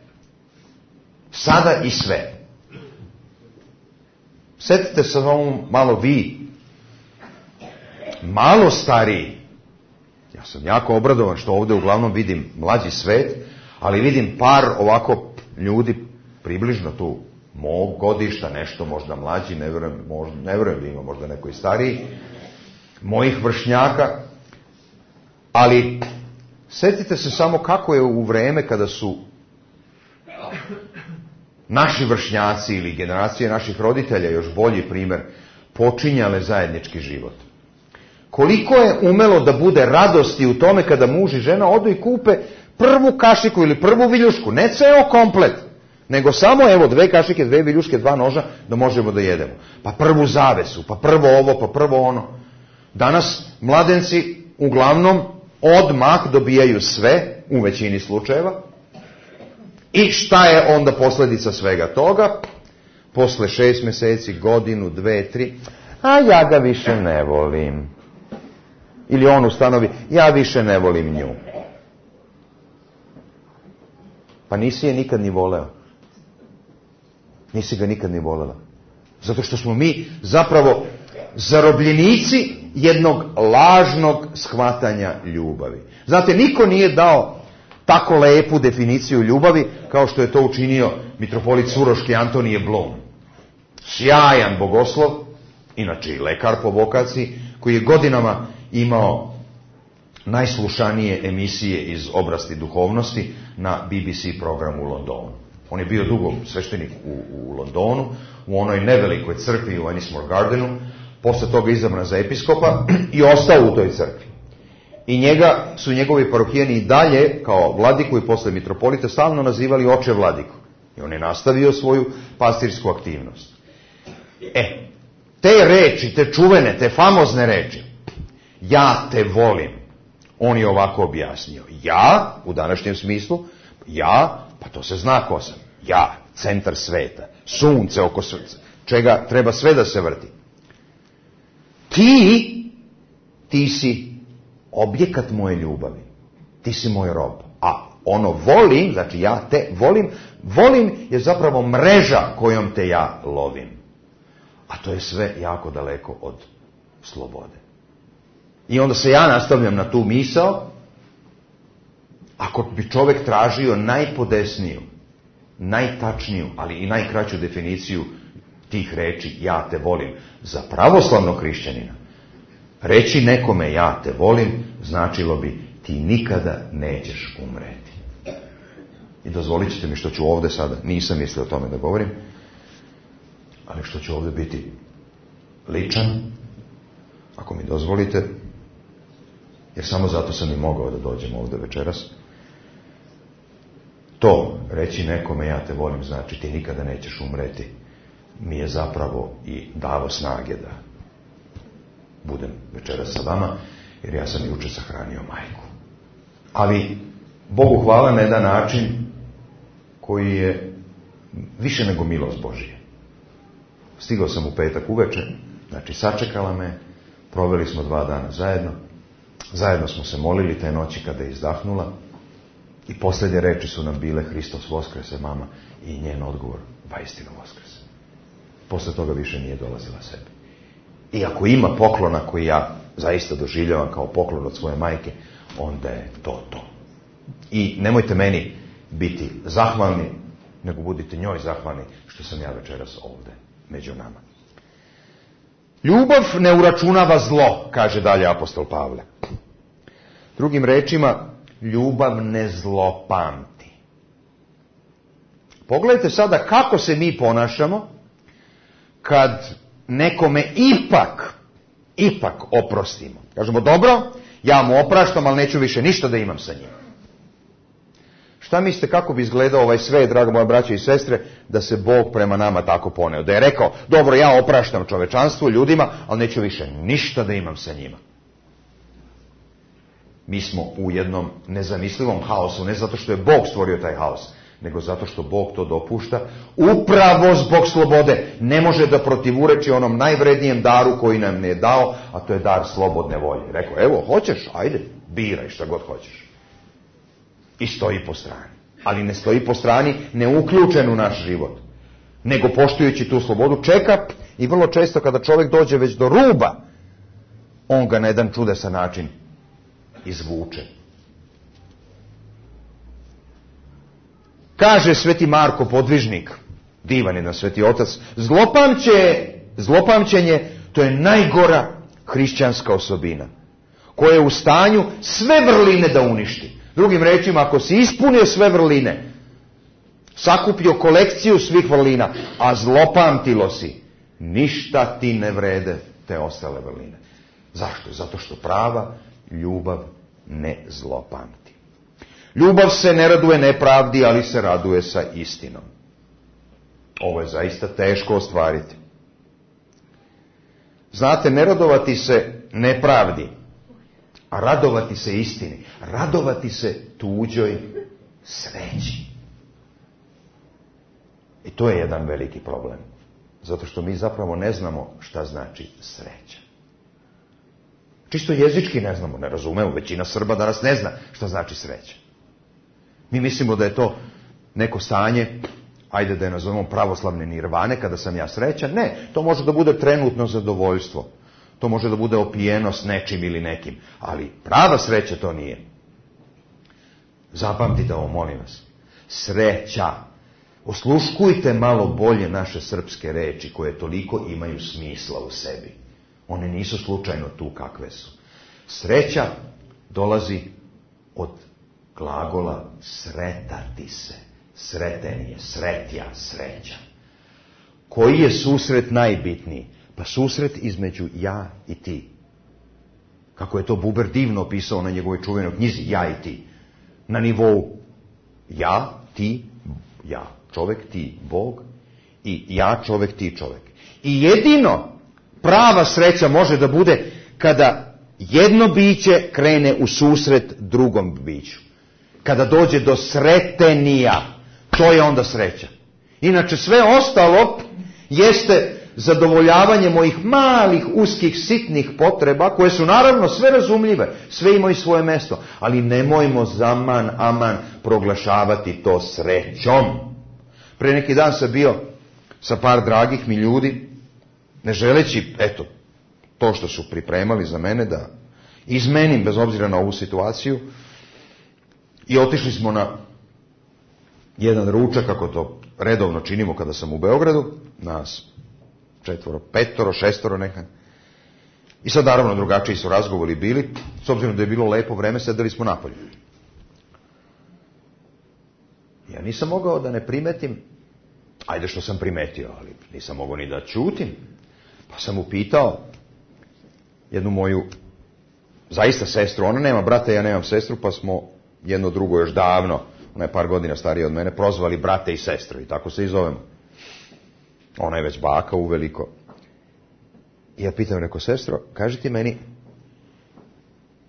Sada i sve. Sjetite se ovom malo vi, malo stariji. Ja sam jako obradovan što ovdje uglavnom vidim mlađi svet, ali vidim par ovako ljudi približno tu mog godišta, nešto možda mlađi, ne vjerujem, možda, ne vjerujem da ima možda neko i stariji, mojih vršnjaka, ali sjetite se samo kako je u vreme kada su naši vršnjaci ili generacije naših roditelja, još bolji primjer, počinjale zajednički život. Koliko je umelo da bude radosti u tome kada muž i žena odu i kupe prvu kašiku ili prvu viljušku, ne ceo komplet, nego samo evo dve kašike, dve viljuške, dva noža da možemo da jedemo. Pa prvu zavesu, pa prvo ovo, pa prvo ono. Danas mladenci uglavnom odmah dobijaju sve, u većini slučajeva. I šta je onda posljedica svega toga? Posle šest mjeseci, godinu, dve, tri, a ja ga više ne volim. Ili on ustanovi, ja više ne volim nju. Pa nisi je nikad ni voleo. Nisi ga nikad ni volela. Zato što smo mi zapravo zarobljenici jednog lažnog shvatanja ljubavi. Znate, niko nije dao tako lepu definiciju ljubavi kao što je to učinio mitropolit Suroški Antonije Blum. Sjajan bogoslov, inače i lekar po vokaciji, koji je godinama imao najslušanije emisije iz oblasti duhovnosti na B B C programu u Londonu. On je bio dugo sveštenik u, u Londonu, u onoj nevelikoj crkvi u Ennismore Gardenu, posle toga izabran za episkopa i ostao u toj crkvi. I njega su njegovi parohijani i dalje, kao vladiku i posle mitropolita, stalno nazivali oče vladiku. I on je nastavio svoju pastirsku aktivnost. E, te reči, te čuvene, te famozne reči, ja te volim, on je ovako objasnio. Ja, u današnjem smislu, ja, pa to se zna ko sam. Ja, centar sveta, sunce oko sunca, čega treba sve da se vrti. Ti, ti si objekat moje ljubavi. Ti si moj rob. A ono volim, znači ja te volim, volim je zapravo mreža kojom te ja lovim. A to je sve jako daleko od slobode. I onda se ja nastavljam na tu misao. Ako bi čovjek tražio najpodesniju, najtačniju, ali i najkraću definiciju tih reči, ja te volim, za pravoslavnog hrišćanina, reći nekome ja te volim, značilo bi ti nikada nećeš umreti. I dozvolit ćete mi što ću ovdje sada, nisam mislio o tome da govorim, ali što ću ovdje biti ličan, ako mi dozvolite, jer samo zato sam i mogao da dođem ovdje večeras. To, reći nekome ja te volim, znači ti nikada nećeš umreti, mi je zapravo i davo snage da budem večeras sa vama, jer ja sam juče sahranio majku. Ali Bogu hvala na jedan način koji je više nego milost Božije. Stigao sam u petak uveče, znači sačekala me, proveli smo dva dana zajedno, zajedno smo se molili te noći kada je izdahnula i posljednje reči su nam bile Hristos voskrese, mama, i njen odgovor, vaistinu voskrese. Posle toga više nije dolazila sebi. I ako ima poklona koji ja zaista doživljavam kao poklon od svoje majke, onda je to to. I nemojte meni biti zahvalni, nego budite njoj zahvalni što sam ja večeras ovdje među nama. Ljubav ne uračunava zlo, kaže dalje apostol Pavle. Drugim rečima, ljubav ne zlopamti. Pogledajte sada kako se mi ponašamo kad nekome ipak, ipak oprostimo. Kažemo, dobro, ja mu opraštam, ali neću više ništa da imam sa njim. Šta mislite kako bi izgledao ovaj svet, draga moja braća i sestre, da se Bog prema nama tako poneo? Da je rekao, dobro, ja opraštam čovečanstvu, ljudima, ali neću više ništa da imam sa njima. Mi smo u jednom nezamislivom haosu, ne zato što je Bog stvorio taj haos, nego zato što Bog to dopušta, upravo zbog slobode. Ne može da protivureči onom najvrednijem daru koji nam je dao, a to je dar slobodne volje. Rekao, evo, hoćeš, ajde, biraj šta god hoćeš. I stoji po strani. Ali ne stoji po strani neuključen u naš život, nego poštujući tu slobodu čeka i vrlo često kada čovjek dođe već do ruba, on ga na jedan čudesan način izvuče. Kaže sveti Marko Podvižnik, divan jedan sveti otac, zlopamće, zlopamćenje, to je najgora hrišćanska osobina, koja je u stanju sve vrline da uništi. Drugim rečima, ako si ispunio sve vrline, sakupio kolekciju svih vrlina, a zlopamtilo si, ništa ti ne vrede te ostale vrline. Zašto? Zato što prava ljubav ne zlopamti. Ljubav se ne raduje nepravdi, ali se raduje sa istinom. Ovo je zaista teško ostvariti. Znate, ne radovati se nepravdi, a radovati se istini. Radovati se tuđoj sreći. I to je jedan veliki problem. Zato što mi zapravo ne znamo šta znači sreća. Čisto jezički ne znamo, ne razumemo. Većina Srba danas ne zna šta znači sreća. Mi mislimo da je to neko stanje, ajde da je nazovemo pravoslavne nirvane, kada sam ja srećan. Ne, to može da bude trenutno zadovoljstvo. To može da bude opijenost nečim ili nekim. Ali prava sreća to nije. Zapamtite ovo, molim vas. Sreća. Osluškujte malo bolje naše srpske reči koje toliko imaju smisla u sebi. One nisu slučajno tu kakve su. Sreća dolazi od glagola sretati se. Sreten je, sretja, sreća. Koji je susret najbitniji? Pa susret između ja i ti. Kako je to Buber divno opisao na njegovoj čuvenoj knjizi Ja i ti. Na nivou ja, ti, ja, čovjek, ti, Bog, i ja, čovjek, ti, čovjek. I jedino prava sreća može da bude kada jedno biće krene u susret drugom biću. Kada dođe do sretenija, to je onda sreća. Inače sve ostalo jeste zadovoljavanje mojih malih, uskih, sitnih potreba, koje su naravno sve razumljive, sve imaju svoje mesto, ali nemojmo zaman, aman proglašavati to srećom. Pre neki dan sam bio sa par dragih mi ljudi, ne želeći, eto, to što su pripremali za mene da izmenim bez obzira na ovu situaciju, i otišli smo na jedan ručak, kako to redovno činimo kada sam u Beogradu, nas četvoro, petoro, šestoro neka. I sad naravno drugačiji su razgovori bili, s obzirom da je bilo lepo vreme, sedeli smo napolju. Ja nisam mogao da ne primetim, ajde što sam primetio, ali nisam mogao ni da ćutim. Pa sam upitao jednu moju, zaista sestru, ona nema brata, ja nemam sestru, pa smo jedno drugo još davno, ona je par godina starija od mene, prozvali brate i sestre i tako se i zovemo. Ona je već baka uveliko. I ja pitam, reko, sestro, kaži ti meni,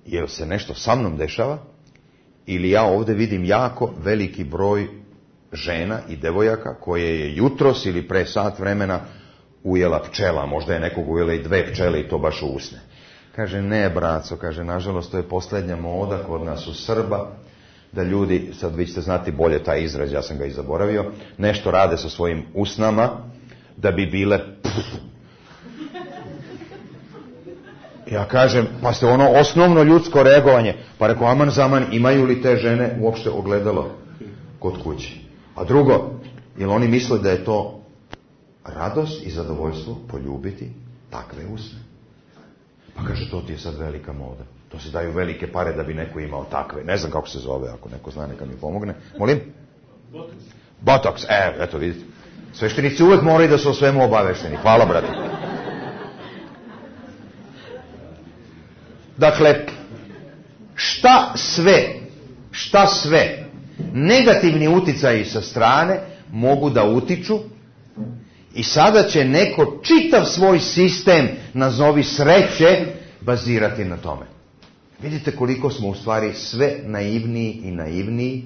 jel se nešto sa mnom dešava ili ja ovdje vidim jako veliki broj žena i devojaka koje je jutros ili pre sat vremena ujela pčela, možda je nekog ujela i dve pčele i to baš u usne. Kaže, ne, braco, kaže, nažalost, to je posljednja moda kod nas u Srba, da ljudi, sad vi ćete znati bolje taj izraz, ja sam ga i zaboravio, nešto rade sa svojim usnama, da bi bile pff. Ja kažem, pa ste ono osnovno ljudsko reagovanje, pa reko, aman zaman, imaju li te žene uopšte ogledalo kod kuće? A drugo, jel oni misle da je to radost i zadovoljstvo poljubiti takve usne? Pa kaže, to ti je sad velika moda. To se daju velike pare da bi neko imao takve. Ne znam kako se zove, ako neko zna, neka mi pomogne. Molim? Botox. Botox, e, eto vidite. Sveštenici uvek moraju da su o svemu obavešteni. Hvala, brate. Dakle, šta sve, šta sve negativni uticaji sa strane mogu da utiču i sada će neko čitav svoj sistem, nazovi sreće, bazirati na tome. Vidite koliko smo u stvari sve naivniji i naivniji,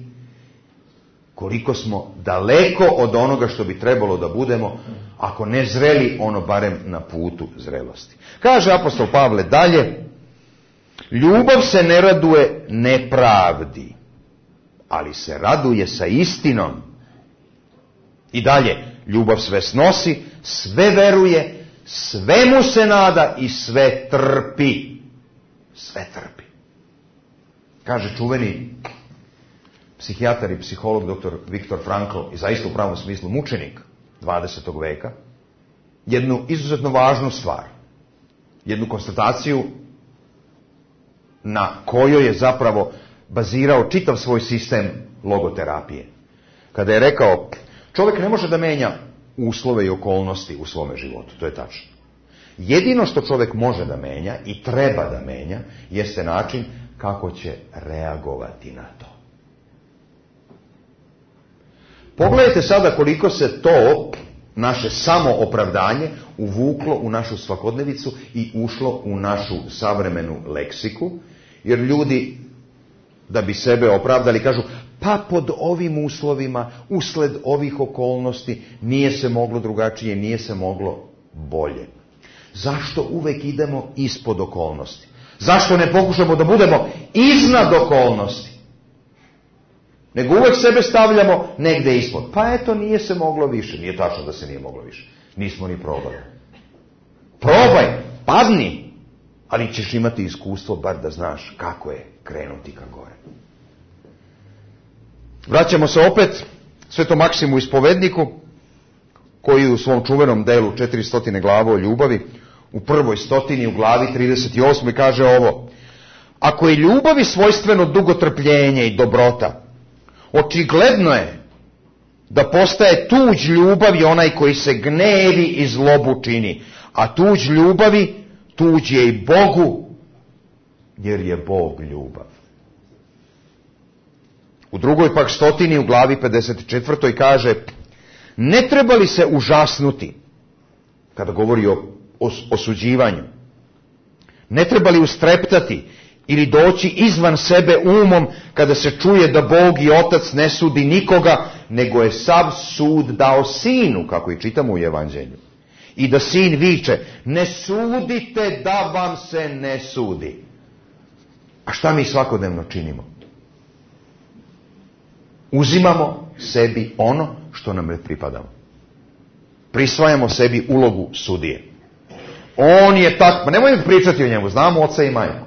koliko smo daleko od onoga što bi trebalo da budemo, ako ne zreli, ono barem na putu zrelosti. Kaže apostol Pavle dalje, ljubav se ne raduje nepravdi, ali se raduje sa istinom. I dalje, ljubav sve snosi, sve veruje, svemu se nada i sve trpi. Sve trpi. Kaže čuveni psihijatar i psiholog doktor Viktor Frankl, i zaista u pravom smislu mučenik dvadesetog veka, jednu izuzetno važnu stvar, jednu konstataciju na kojoj je zapravo bazirao čitav svoj sistem logoterapije. Kada je rekao, čovjek ne može da menja uslove i okolnosti u svome životu, to je tačno. Jedino što čovjek može da menja i treba da menja jeste način kako će reagovati na to. Pogledajte sada koliko se to naše samoopravdanje uvuklo u našu svakodnevicu i ušlo u našu savremenu leksiku, jer ljudi da bi sebe opravdali kažu, pa pod ovim uslovima, usled ovih okolnosti, nije se moglo drugačije, nije se moglo bolje. Zašto uvek idemo ispod okolnosti? Zašto ne pokušamo da budemo iznad okolnosti? Nego uvek sebe stavljamo negde ispod. Pa eto, nije se moglo više. Nije tačno da se nije moglo više. Nismo ni probali. Probaj, padni, ali ćeš imati iskustvo bar da znaš kako je krenuti ka gore. Vraćamo se opet Svetom Maksimu Ispovedniku, koji u svom čuvenom delu četiristo glava o ljubavi, u prvoj stotini u glavi trideset osam kaže ovo: ako je ljubavi svojstveno dugotrpljenje i dobrota, očigledno je da postaje tuđ ljubavi onaj koji se gnevi i zlobu čini, a tuđ ljubavi tuđ je i Bogu, jer je Bog ljubav. U drugoj pak stotini u glavi pedeset četvrtoj kaže: ne treba li se užasnuti, kada govori o osuđivanju, ne treba li ustreptati ili doći izvan sebe umom kada se čuje da Bog i Otac ne sudi nikoga, nego je sav sud dao Sinu, kako i čitamo u Evanđelju. I da Sin viče: ne sudite da vam se ne sudi. A šta mi svakodnevno činimo? Uzimamo sebi ono što nam ne pripadamo. Prisvajamo sebi ulogu sudije. On je tak, pa nemojmo pričati o njemu, znamo oca i majku.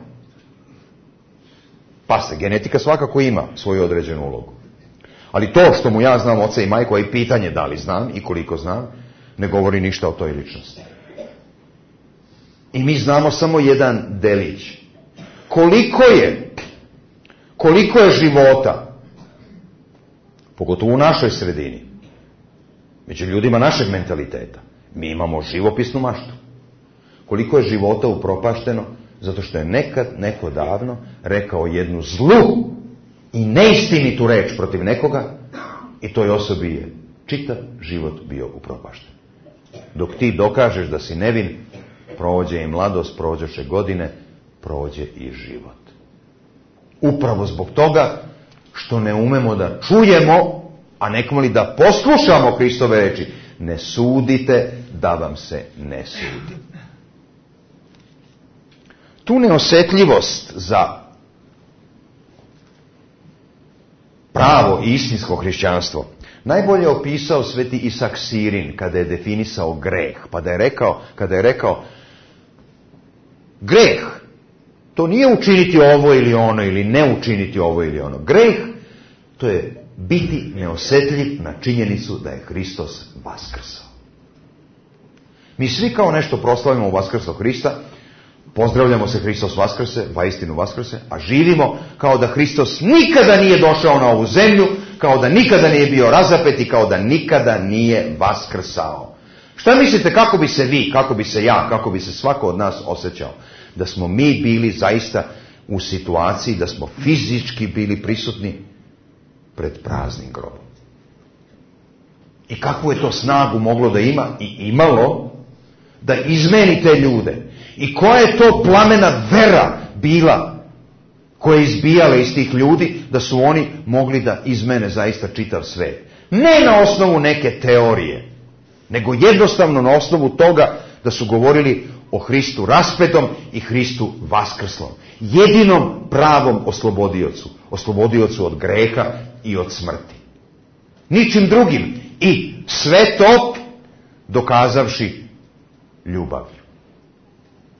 Pa se, genetika svakako ima svoju određenu ulogu. Ali to što mu ja znam oca i majku, a i pitanje da li znam i koliko znam, ne govori ništa o toj ličnosti. I mi znamo samo jedan delić. Koliko je, koliko je života, pogotovo u našoj sredini, među ljudima našeg mentaliteta, mi imamo živopisnu maštu. Koliko je života upropašteno zato što je nekad neko davno rekao jednu zlu i neistinitu reč protiv nekoga i toj osobi je čitav život bio upropašten. Dok ti dokažeš da si nevin, prođe i mladost, prođeše godine, prođe i život. Upravo zbog toga što ne umemo da čujemo, a nekamo li da poslušamo Hristove reči: ne sudite da vam se ne sudi. Tu neosjetljivost za pravo i istinsko hrišćanstvo najbolje je opisao sveti Isak Sirin kada je definisao greh. Pa da je rekao, kada je rekao: greh, to nije učiniti ovo ili ono, ili ne učiniti ovo ili ono. Greh, to je biti neosjetljiv na činjenicu da je Hristos vaskrsao. Mi svi kao nešto proslavimo u vaskrslog Hrista, pozdravljamo se Hristos vaskrse, vaistinu vaskrse, a živimo kao da Hristos nikada nije došao na ovu zemlju, kao da nikada nije bio razapet i kao da nikada nije vaskrsao. Šta mislite kako bi se vi, kako bi se ja, kako bi se svako od nas osjećao da smo mi bili zaista u situaciji da smo fizički bili prisutni pred praznim grobom? I kakvu je to snagu moglo da ima i imalo da izmeni te ljude? I koja je to plamena vera bila koja je izbijala iz tih ljudi da su oni mogli da izmene zaista čitav svet? Ne na osnovu neke teorije, nego jednostavno na osnovu toga da su govorili o Hristu raspetom i Hristu vaskrslom. Jedinom pravom oslobodiocu. Oslobodiocu od greha i od smrti. Ničim drugim. I sve to dokazavši ljubavlju.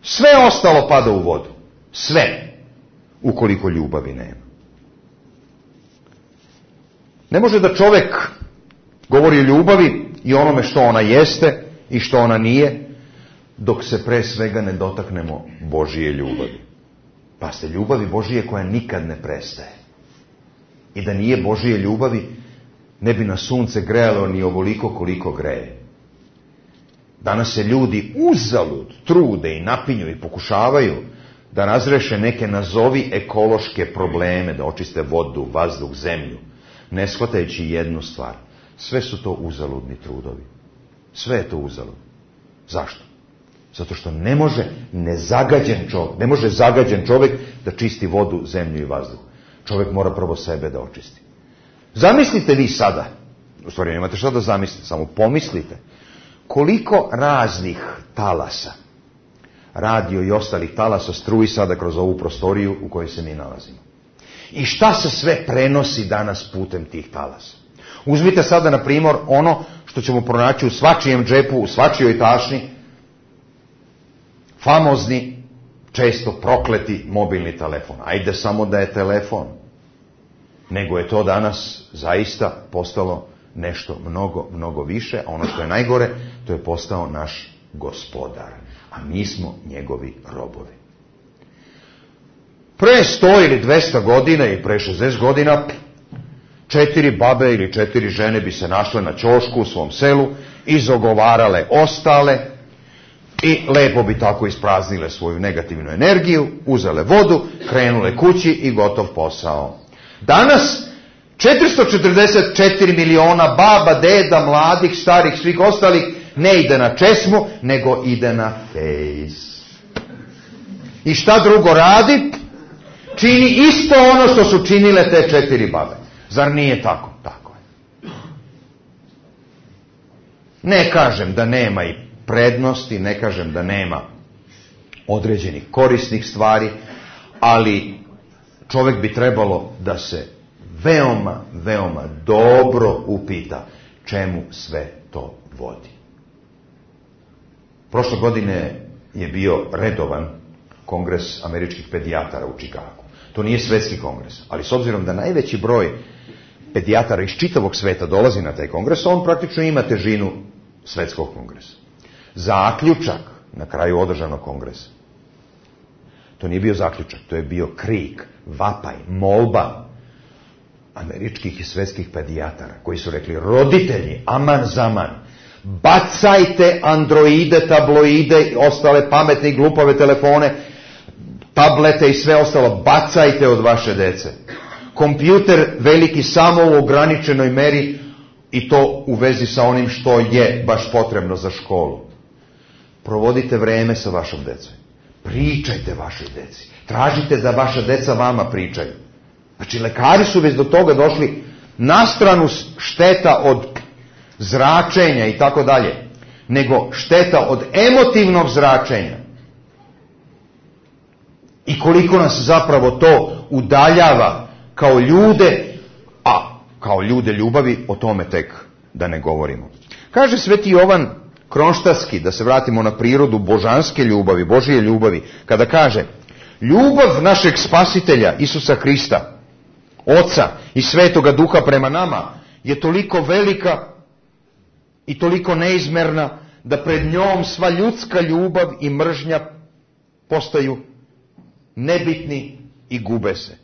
Sve ostalo pada u vodu. Sve. Ukoliko ljubavi nema. Ne može da čovjek govori o ljubavi i onome što ona jeste i što ona nije, dok se pre svega ne dotaknemo Božije ljubavi. Pa ste ljubavi Božije koja nikad ne prestaje. I da nije Božije ljubavi, ne bi na sunce grejalo ni ovoliko koliko greje. Danas se ljudi uzalud trude i napinju i pokušavaju da razreše neke nazovi ekološke probleme, da očiste vodu, vazduh, zemlju, ne shvatajući jednu stvar. Sve su to uzaludni trudovi. Sve je to uzalud. Zašto? Zato što ne može nezagađen čovjek, ne može zagađen čovjek da čisti vodu, zemlju i vazduh. Čovjek mora prvo sebe da očisti. Zamislite vi sada, u stvari nemate šta da zamislite, samo pomislite, koliko raznih talasa, radio i ostalih talasa struji sada kroz ovu prostoriju u kojoj se mi nalazimo. I šta se sve prenosi danas putem tih talasa? Uzmite sada, na primjer, ono što ćemo pronaći u svačijem džepu, u svačijoj tašni, famozni, često prokleti mobilni telefon. Ajde samo da je telefon. Nego je to danas zaista postalo nešto mnogo, mnogo više, a ono što je najgore, to je postao naš gospodar. A mi smo njegovi robovi. Pre sto ili dvesta godina i pre šezdeset godina četiri babe ili četiri žene bi se našle na ćošku u svom selu, izogovarale ostale i lepo bi tako ispraznile svoju negativnu energiju, uzele vodu, krenule kući i gotov posao. Danas četiristo četrdeset četiri miliona baba, deda, mladih, starih, svih ostalih ne ide na česmu, nego ide na fejs. I šta drugo radi? Čini isto ono što su činile te četiri babe. Zar nije tako? Tako je. Ne kažem da nema i prednosti, ne kažem da nema određenih korisnih stvari, ali čovjek bi trebalo da se veoma, veoma dobro upita čemu sve to vodi. Prošle godine je bio redovan kongres američkih pedijatara u Čikagu. To nije svetski kongres, ali s obzirom da najveći broj pedijatara iz čitavog sveta dolazi na taj kongres, on praktično ima težinu svetskog kongresa. Zaključak na kraju održanog kongresa, to nije bio zaključak, to je bio krik, vapaj, molba američkih i svetskih pedijatara koji su rekli: roditelji, aman zaman, bacajte androide, tabloide i ostale pametne i glupave telefone, tablete i sve ostalo, bacajte od vaše dece. Kompjuter veliki samo u ograničenoj meri i to u vezi sa onim što je baš potrebno za školu. Provodite vreme sa vašom decom. Pričajte vašoj deci. Tražite da vaša deca vama pričaju. Znači, lekari su već do toga došli, na stranu šteta od zračenja i tako dalje, nego šteta od emotivnog zračenja. I koliko nas zapravo to udaljava kao ljude, a kao ljude ljubavi, o tome tek da ne govorimo. Kaže Sveti Jovan Kronštatski, da se vratimo na prirodu božanske ljubavi, Božije ljubavi, kada kaže: ljubav našeg spasitelja Isusa Hrista, Oca i Svetoga Duha prema nama je toliko velika i toliko neizmerna da pred njom sva ljudska ljubav i mržnja postaju nebitni i gube se.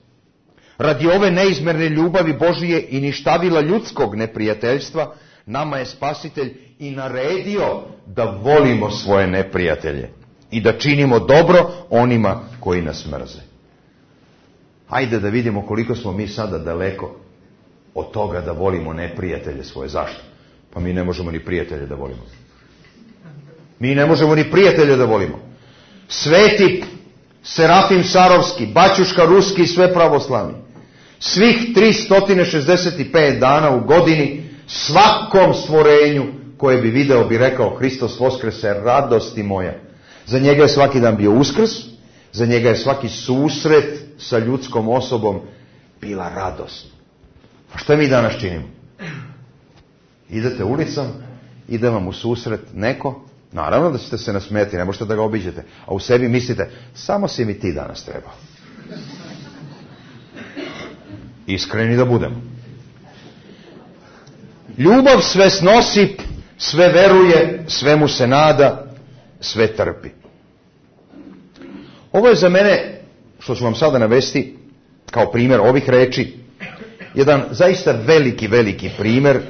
Radi ove neizmerne ljubavi Božije i ništavila ljudskog neprijateljstva, nama je Spasitelj i naredio da volimo svoje neprijatelje i da činimo dobro onima koji nas mrze. Hajde da vidimo koliko smo mi sada daleko od toga da volimo neprijatelje svoje. Zašto? Pa mi ne možemo ni prijatelje da volimo. Mi ne možemo ni prijatelje da volimo. Sveti Serafim Sarovski, Baćuška Ruski i sve pravoslavni, svih tristo šezdeset pet dana u godini, svakom stvorenju koje bi video bi rekao: Hristos Voskrese, radosti moja. Za njega je svaki dan bio Uskrs, za njega je svaki susret sa ljudskom osobom bila radost. A šta mi danas činimo? Idete ulicom, ide vam u susret neko, naravno da ćete se nasmijati, ne možete da ga obiđete, a u sebi mislite: samo si mi ti danas trebao. Iskreni da budemo. Ljubav sve snosi, sve veruje, svemu se nada, sve trpi. Ovo je za mene, što ću vam sada navesti kao primjer ovih reči, jedan zaista veliki, veliki primjer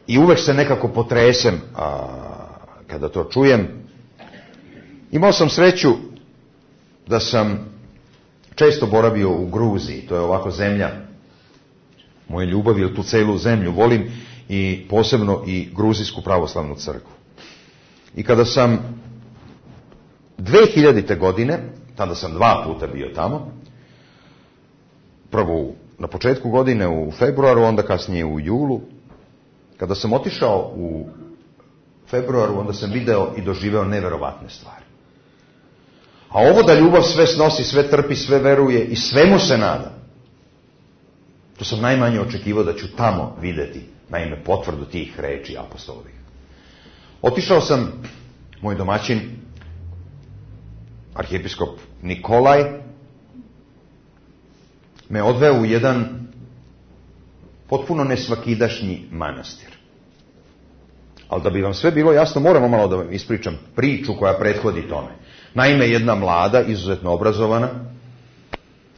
i uvek se nekako potresem a, kada to čujem. Imao sam sreću da sam često boravio u Gruziji, to je ovako zemlja moje ljubavi, jer tu celu zemlju volim i posebno i Gruzijsku pravoslavnu crkvu. I kada sam dve hiljadite godine, tada sam dva puta bio tamo, prvo na početku godine u februaru, onda kasnije u julu, kada sam otišao u februaru, onda sam video i doživeo neverovatne stvari. A ovo da ljubav sve snosi, sve trpi, sve veruje i svemu se nada, to sam najmanje očekivao da ću tamo videti, naime, potvrdu tih reči apostolovih. Otišao sam, moj domaćin, arhijepiskop Nikolaj, me odveo u jedan potpuno nesvakidašnji manastir. Ali da bi vam sve bilo jasno, moramo malo da vam ispričam priču koja prethodi tome. Naime, jedna mlada, izuzetno obrazovana,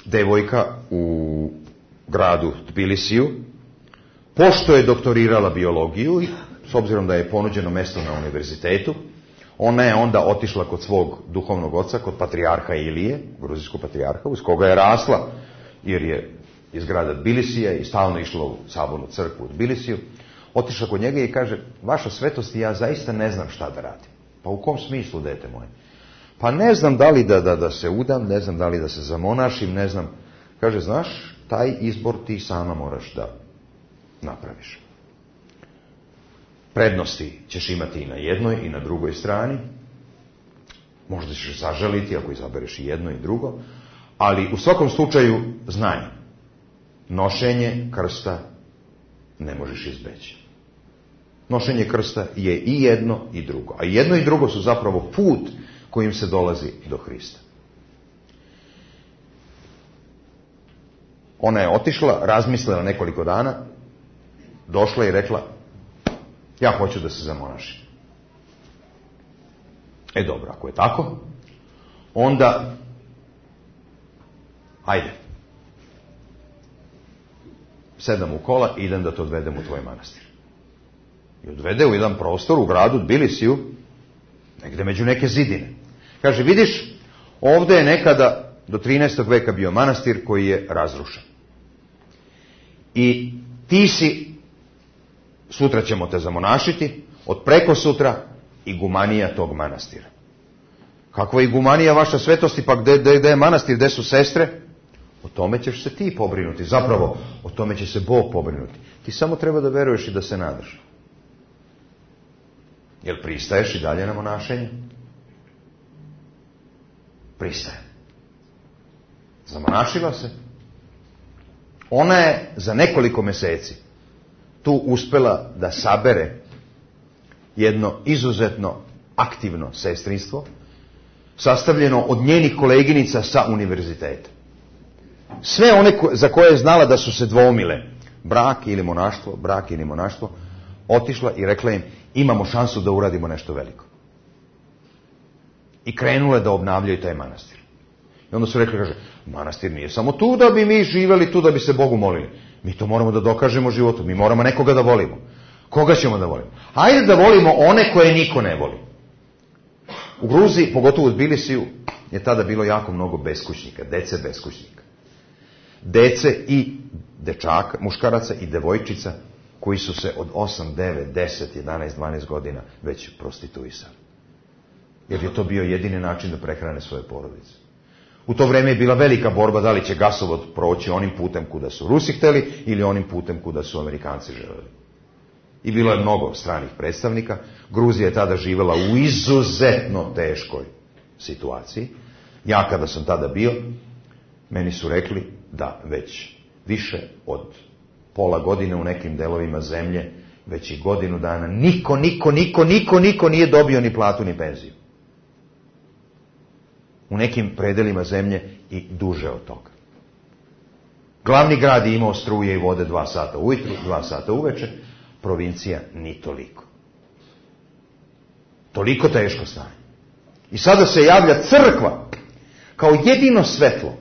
devojka u gradu Tbilisiju, pošto je doktorirala biologiju, s obzirom da je ponuđeno mesto na univerzitetu, ona je onda otišla kod svog duhovnog oca, kod patrijarha Ilije, gruzijskog patrijarha, uz koga je rasla, jer je iz grada Tbilisija i stalno išla u sabornu crkvu u Tbilisiju. Otišla kod njega i kaže, vaša svetost, ja zaista ne znam šta da radim. Pa u kom smislu, dete moje? Pa ne znam da li da, da, da se udam, ne znam da li da se zamonašim, ne znam. Kaže, znaš, taj izbor ti sama moraš da napraviš. Prednosti ćeš imati i na jednoj i na drugoj strani. Možda ćeš zažaliti ako izabereš i jedno i drugo. Ali u svakom slučaju znanje. Nošenje krsta ne možeš izbeći. Nošenje krsta je i jedno i drugo. A jedno i drugo su zapravo put kojim se dolazi do Hrista. Ona je otišla, razmislila nekoliko dana, došla i rekla, ja hoću da se zamonašim. E dobro, ako je tako, onda, ajde, sedam u kola i idem da te odvedem u tvoj manastir. I odvede u jedan prostor u gradu Tbilisiju, negde među neke zidine. Kaže, vidiš, ovde je nekada do trinaestog veka bio manastir koji je razrušen. I ti si, sutra ćemo te zamonašiti, od preko sutra igumanija tog manastira. Kakva je igumanija vaša svetosti, pa gde, gde, gde je manastir, gde su sestre? O tome ćeš se ti pobrinuti. Zapravo, o tome će se Bog pobrinuti. Ti samo treba da veruješ i da se nadaš. Jel pristaješ i dalje na monašenje? Pristaje. Zamonašila se. Ona je za nekoliko meseci tu uspela da sabere jedno izuzetno aktivno sestrinstvo, sastavljeno od njenih koleginica sa univerziteta. Sve one ko, za koje je znala da su se dvoumile, brak ili monaštvo, brak ili monaštvo, otišla i rekla im, imamo šansu da uradimo nešto veliko. I krenule da obnavljaju taj manastir. I onda su rekli, kaže, manastir nije samo tu da bi mi živeli, tu da bi se Bogu molili. Mi to moramo da dokažemo životu, mi moramo nekoga da volimo. Koga ćemo da volimo? Hajde da volimo one koje niko ne voli. U Gruziji, pogotovo u Tbilisiju, je tada bilo jako mnogo beskućnika, dece beskućnika. Dece i dečaka, muškaraca i devojčica koji su se od osam, devet, deset, jedanaest, dvanaest godina već prostituisali. Jer je to bio jedini način da prehrane svoje porodice. U to vreme je bila velika borba da li će gasovod proći onim putem kuda su Rusi hteli ili onim putem kuda su Amerikanci želeli. I bilo je mnogo stranih predstavnika. Gruzija je tada živjela u izuzetno teškoj situaciji. Ja kada sam tada bio, meni su rekli da već više od pola godine u nekim delovima zemlje, već i godinu dana, niko, niko, niko, niko, niko nije dobio ni platu ni penziju. U nekim predelima zemlje i duže od toga. Glavni grad je imao struje i vode dva sata ujutru, dva sata uveče, provincija ni toliko. Toliko teško stanje. I sada se javlja crkva kao jedino svetlo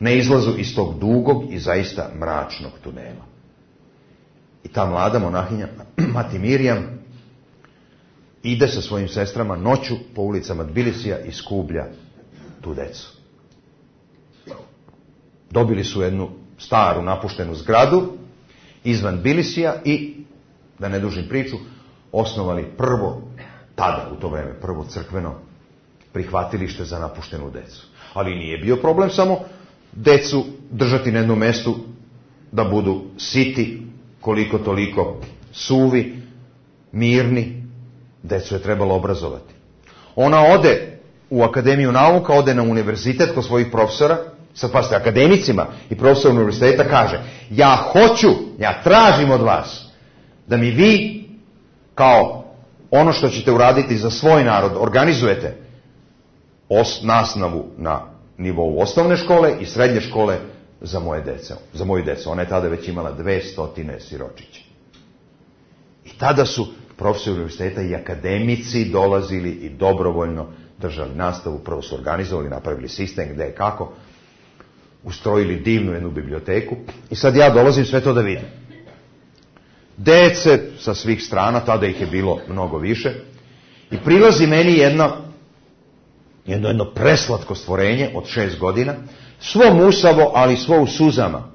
na izlazu iz tog dugog i zaista mračnog tunela. I ta mlada monahinja, Mati Mirjam, ide sa svojim sestrama noću po ulicama Tbilisija i skublja tu decu. Dobili su jednu staru napuštenu zgradu izvan Tbilisija i, da ne dužim priču, osnovali prvo, tada u to vreme, prvo crkveno prihvatilište za napuštenu decu. Ali nije bio problem samo decu držati na jednom mestu da budu siti, koliko toliko suvi, mirni. Decu je trebalo obrazovati. Ona ode u Akademiju nauka, ode na univerzitet kod svojih profesora, sad pasite, akademicima i profesor univerziteta kaže, ja hoću, ja tražim od vas da mi vi, kao ono što ćete uraditi za svoj narod, organizujete os, nastavu na nivou osnovne škole i srednje škole za moje dece, za moju decu. Ona je tada već imala dve stotine siročića. I tada su profesori univerziteta i akademici dolazili i dobrovoljno držali nastavu, prvo su organizovali, napravili sistem gde je kako. ustrojili divnu jednu biblioteku i sad ja dolazim sve to da vidim. Dece sa svih strana, tada ih je bilo mnogo više, i prilazi meni jedno, jedno, jedno preslatko stvorenje od šest godina, svo musavo, ali svo u suzama.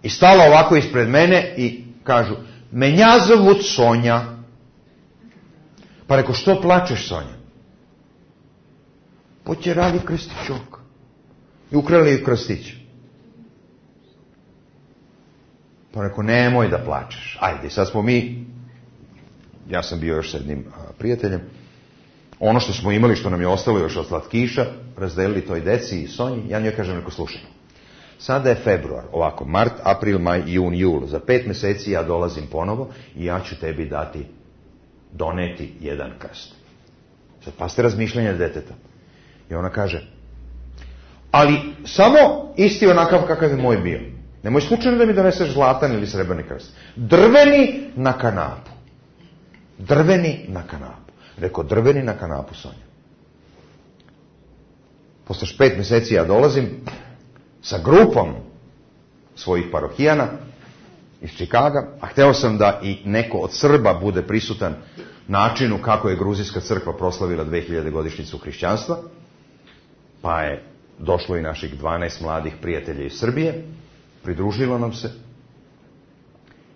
I stala ovako ispred mene i kažu, menja zovut Sonja. Pa reko, što plačeš, Sonja? Potjerali krstićok. I ukrali ju krstić. Pa reko, nemoj da plačeš. Ajde, sad smo mi, ja sam bio još s jednim a, prijateljem, ono što smo imali, što nam je ostalo još od slatkiša, razdelili toj deci i Sonji. Ja njoj kažem, reko, slušaj, sada je februar, ovako, mart, april, maj, jun, jul. Za pet meseci ja dolazim ponovo i ja ću tebi dati, doneti jedan krst. Sad pasite razmišljanja deteta. I ona kaže, ali samo isti onakav kakav je moj bio. Nemoj slučajno da mi doneseš zlatan ili srebrni krst. Drveni na kanapu. Drveni na kanapu. Rekao, drveni na kanapu, Sonja. Posle pet meseci ja dolazim sa grupom svojih parohijana iz Čikaga, a hteo sam da i neko od Srba bude prisutan načinu kako je Gruzijska crkva proslavila dve hiljade godišnjicu hrišćanstva, pa je došlo i naših dvanaest mladih prijatelja iz Srbije, pridružilo nam se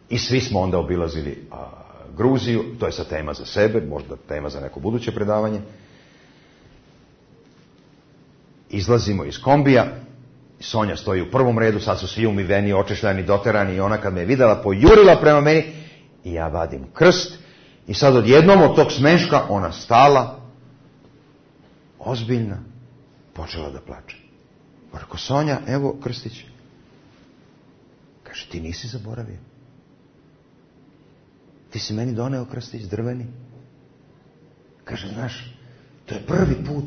i svi smo onda obilazili a, Gruziju, to je sad tema za sebe, možda tema za neko buduće predavanje. Izlazimo iz kombija, Sonja stoji u prvom redu, sad su svi umiveni, očešljani, doterani, i ona kad me je videla, pojurila prema meni i ja vadim krst i sad odjednom od tog smeška ona stala, ozbiljna, počela da plače. Pa rekao, Sonja, evo krstić. Kaže, ti nisi zaboravio. Ti si meni doneo krstić drveni. Kaže, znaš, to je prvi put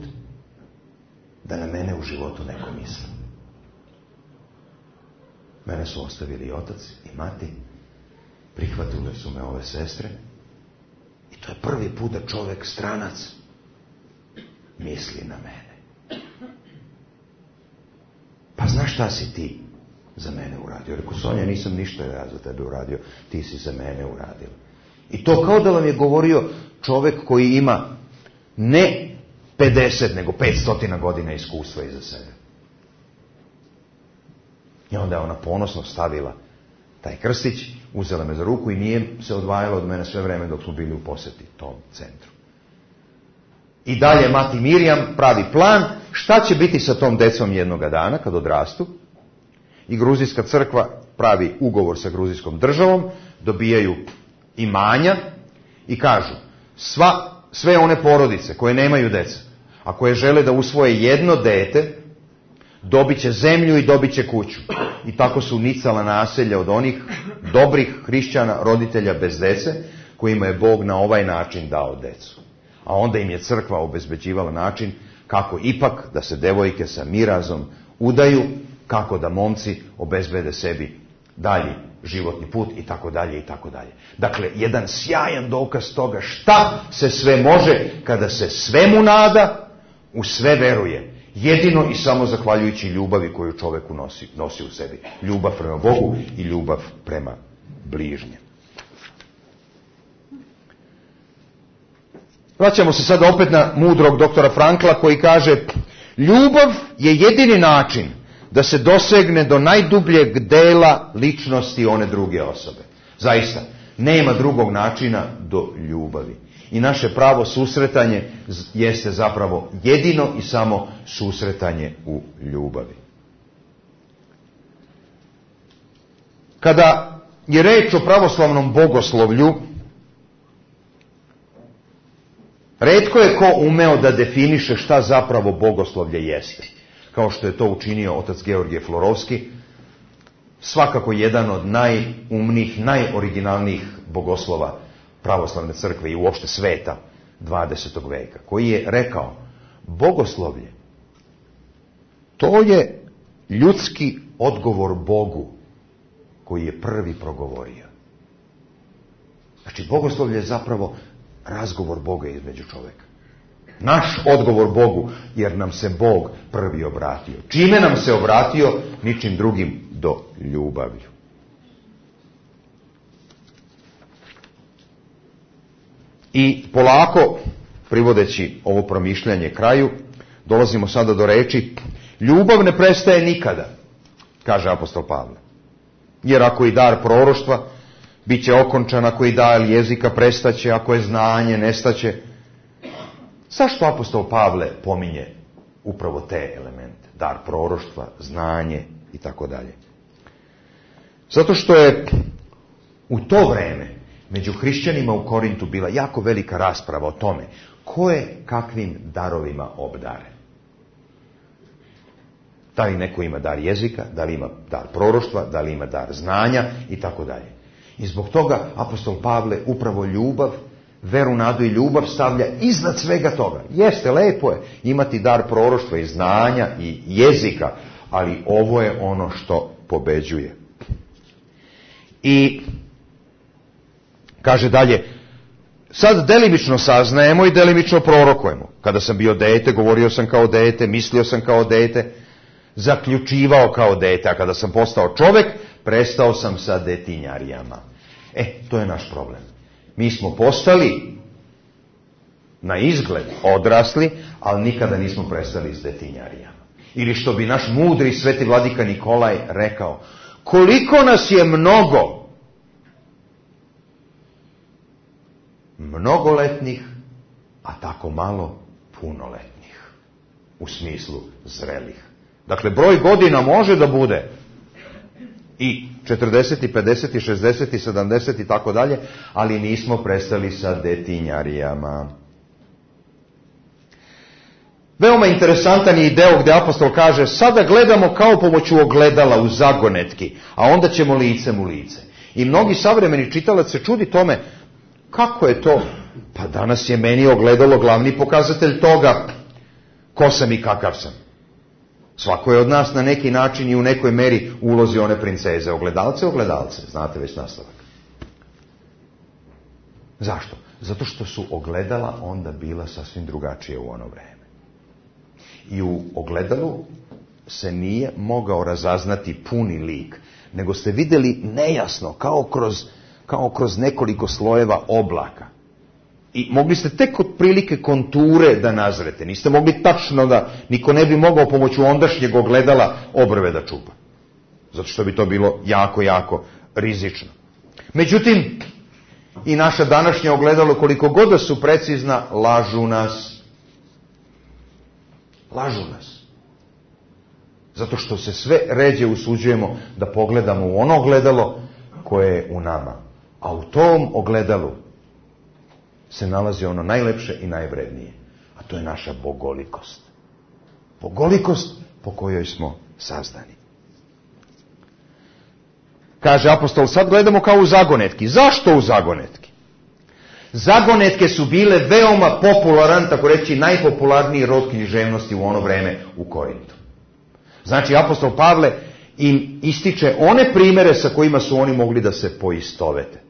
da na mene u životu neko misli. Mene su ostavili i otac i mati, prihvatile su me ove sestre i to je prvi put da čovek stranac misli na mene. Pa znaš šta si ti za mene uradio? Rekao, Sonja, nisam ništa ja za tebe uradio, ti si za mene uradio. I to kao da vam je govorio čovek koji ima ne pedeset, nego petsto godina iskustva iza sebe. I onda je ona ponosno stavila taj krstić, uzela me za ruku i nije se odvajala od mene sve vreme dok smo bili u poseti tom centru. I dalje mati Mirjam pravi plan šta će biti sa tom decom jednoga dana kad odrastu. I Gruzijska crkva pravi ugovor sa gruzijskom državom, dobijaju imanja i kažu, sva, sve one porodice koje nemaju deca, a koje žele da usvoje jedno dete, dobit će zemlju i dobit će kuću. I tako su nicala naselja od onih dobrih hrišćana, roditelja bez dece, kojima je Bog na ovaj način dao decu. A onda im je crkva obezbeđivala način kako ipak da se devojke sa mirazom udaju, kako da momci obezbede sebi dalji životni put i tako dalje i tako dalje. Dakle, jedan sjajan dokaz toga šta se sve može kada se svemu nada, u sve veruje. Jedino i samo zahvaljujući ljubavi koju čoveku nosi, nosi u sebi. Ljubav prema Bogu i ljubav prema bližnjem. Vraćamo se sada opet na mudrog doktora Frankla koji kaže, ljubav je jedini način da se dosegne do najdubljeg dela ličnosti one druge osobe. Zaista, nema drugog načina do ljubavi. I naše pravo susretanje jeste zapravo jedino i samo susretanje u ljubavi. Kada je reč o pravoslavnom bogoslovlju, retko je ko umeo da definiše šta zapravo bogoslovlje jeste. Kao što je to učinio otac Georgije Florovski, svakako jedan od najumnijih, najoriginalnijih bogoslova pravoslavne crkve i uopšte sveta dvadesetog veka, koji je rekao, bogoslovlje, to je ljudski odgovor Bogu koji je prvi progovorio. Znači, bogoslovlje je zapravo razgovor Boga između čoveka. Naš odgovor Bogu, jer nam se Bog prvi obratio. Čime nam se obratio? Ničim drugim do ljubavlju. I polako, privodeći ovo promišljanje kraju, dolazimo sada do reči: ljubav ne prestaje nikada, kaže apostol Pavle. Jer ako i dar proroštva, bit će okončan, ako i dar jezika prestaće, ako je znanje, nestaće. Zašto apostol Pavle pominje upravo te elemente? Dar proroštva, znanje i tako dalje. Zato što je u to vreme među hrišćanima u Korintu bila jako velika rasprava o tome ko je kakvim darovima obdaren. Da li neko ima dar jezika, da li ima dar proroštva, da li ima dar znanja i tako dalje. I zbog toga apostol Pavle upravo ljubav, veru, nadu i ljubav stavlja iznad svega toga. Jeste, lepo je imati dar proroštva i znanja i jezika, ali ovo je ono što pobeđuje. I kaže dalje, sad delimično saznajemo i delimično prorokujemo. Kada sam bio dete, govorio sam kao dete, mislio sam kao dete, zaključivao kao dete, a kada sam postao čovek, prestao sam sa detinjarijama. E, to je naš problem. Mi smo postali na izgled odrasli, ali nikada nismo prestali s detinjarijama. Ili što bi naš mudri sveti vladika Nikolaj rekao, koliko nas je mnogo mnogoletnih, a tako malo punoletnih, u smislu zrelih. Dakle, broj godina može da bude i četrdeset, i pedeset, i šezdeset, i sedamdeset i tako dalje, ali nismo prestali sa detinjarijama. Veoma interesantan je i deo gdje apostol kaže, sada gledamo kao pomoću ogledala u zagonetki, a onda ćemo licem u lice. I mnogi savremeni čitalac se čudi tome, kako je to? Pa danas je meni ogledalo glavni pokazatelj toga ko sam i kakav sam. Svako je od nas na neki način i u nekoj meri ulozi one princeze. Ogledalce, ogledalce. Znate već nastavak. Zašto? Zato što su ogledala onda bila sasvim drugačije u ono vreme. I u ogledalu se nije mogao razaznati puni lik, nego ste vidjeli nejasno, kao kroz, kao kroz nekoliko slojeva oblaka. I mogli ste tek od prilike konture da nazrete. Niste mogli tačno da, niko ne bi mogao pomoću ondašnjeg ogledala obrve da čupa. Zato što bi to bilo jako, jako rizično. Međutim, i naša današnja ogledalo, koliko god da su precizna, lažu nas. Lažu nas. Zato što se sve ređe usuđujemo da pogledamo u ono ogledalo koje je u nama. A u tom ogledalu se nalazi ono najlepše i najvrednije. A to je naša bogolikost. Bogolikost po kojoj smo sazdani. Kaže apostol, sad gledamo kao u zagonetki. Zašto u zagonetki? Zagonetke su bile veoma popularan, tako reći, najpopularniji rod književnosti u ono vreme u Korintu. Znači, apostol Pavle im ističe one primere sa kojima su oni mogli da se poistovete.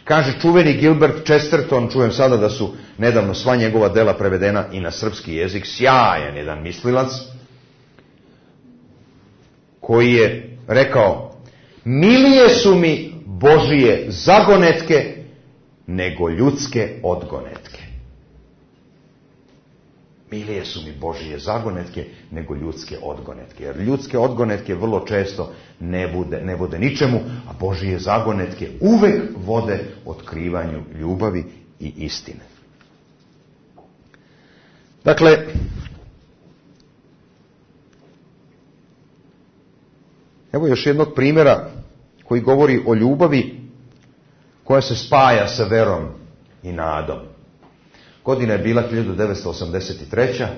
Kaže čuveni Gilbert Chesterton, čujem sada da su nedavno sva njegova dela prevedena i na srpski jezik, sjajan jedan mislilac, koji je rekao, milije su mi Božije zagonetke nego ljudske odgonetke. Milije su mi Božije zagonetke nego ljudske odgonetke. Jer ljudske odgonetke vrlo često ne bude, ne vode ničemu, a Božije zagonetke uvek vode otkrivanju ljubavi i istine. Dakle, evo još jednog primjera koji govori o ljubavi koja se spaja sa verom i nadom. Godina je bila hiljadu devetsto osamdeset treća.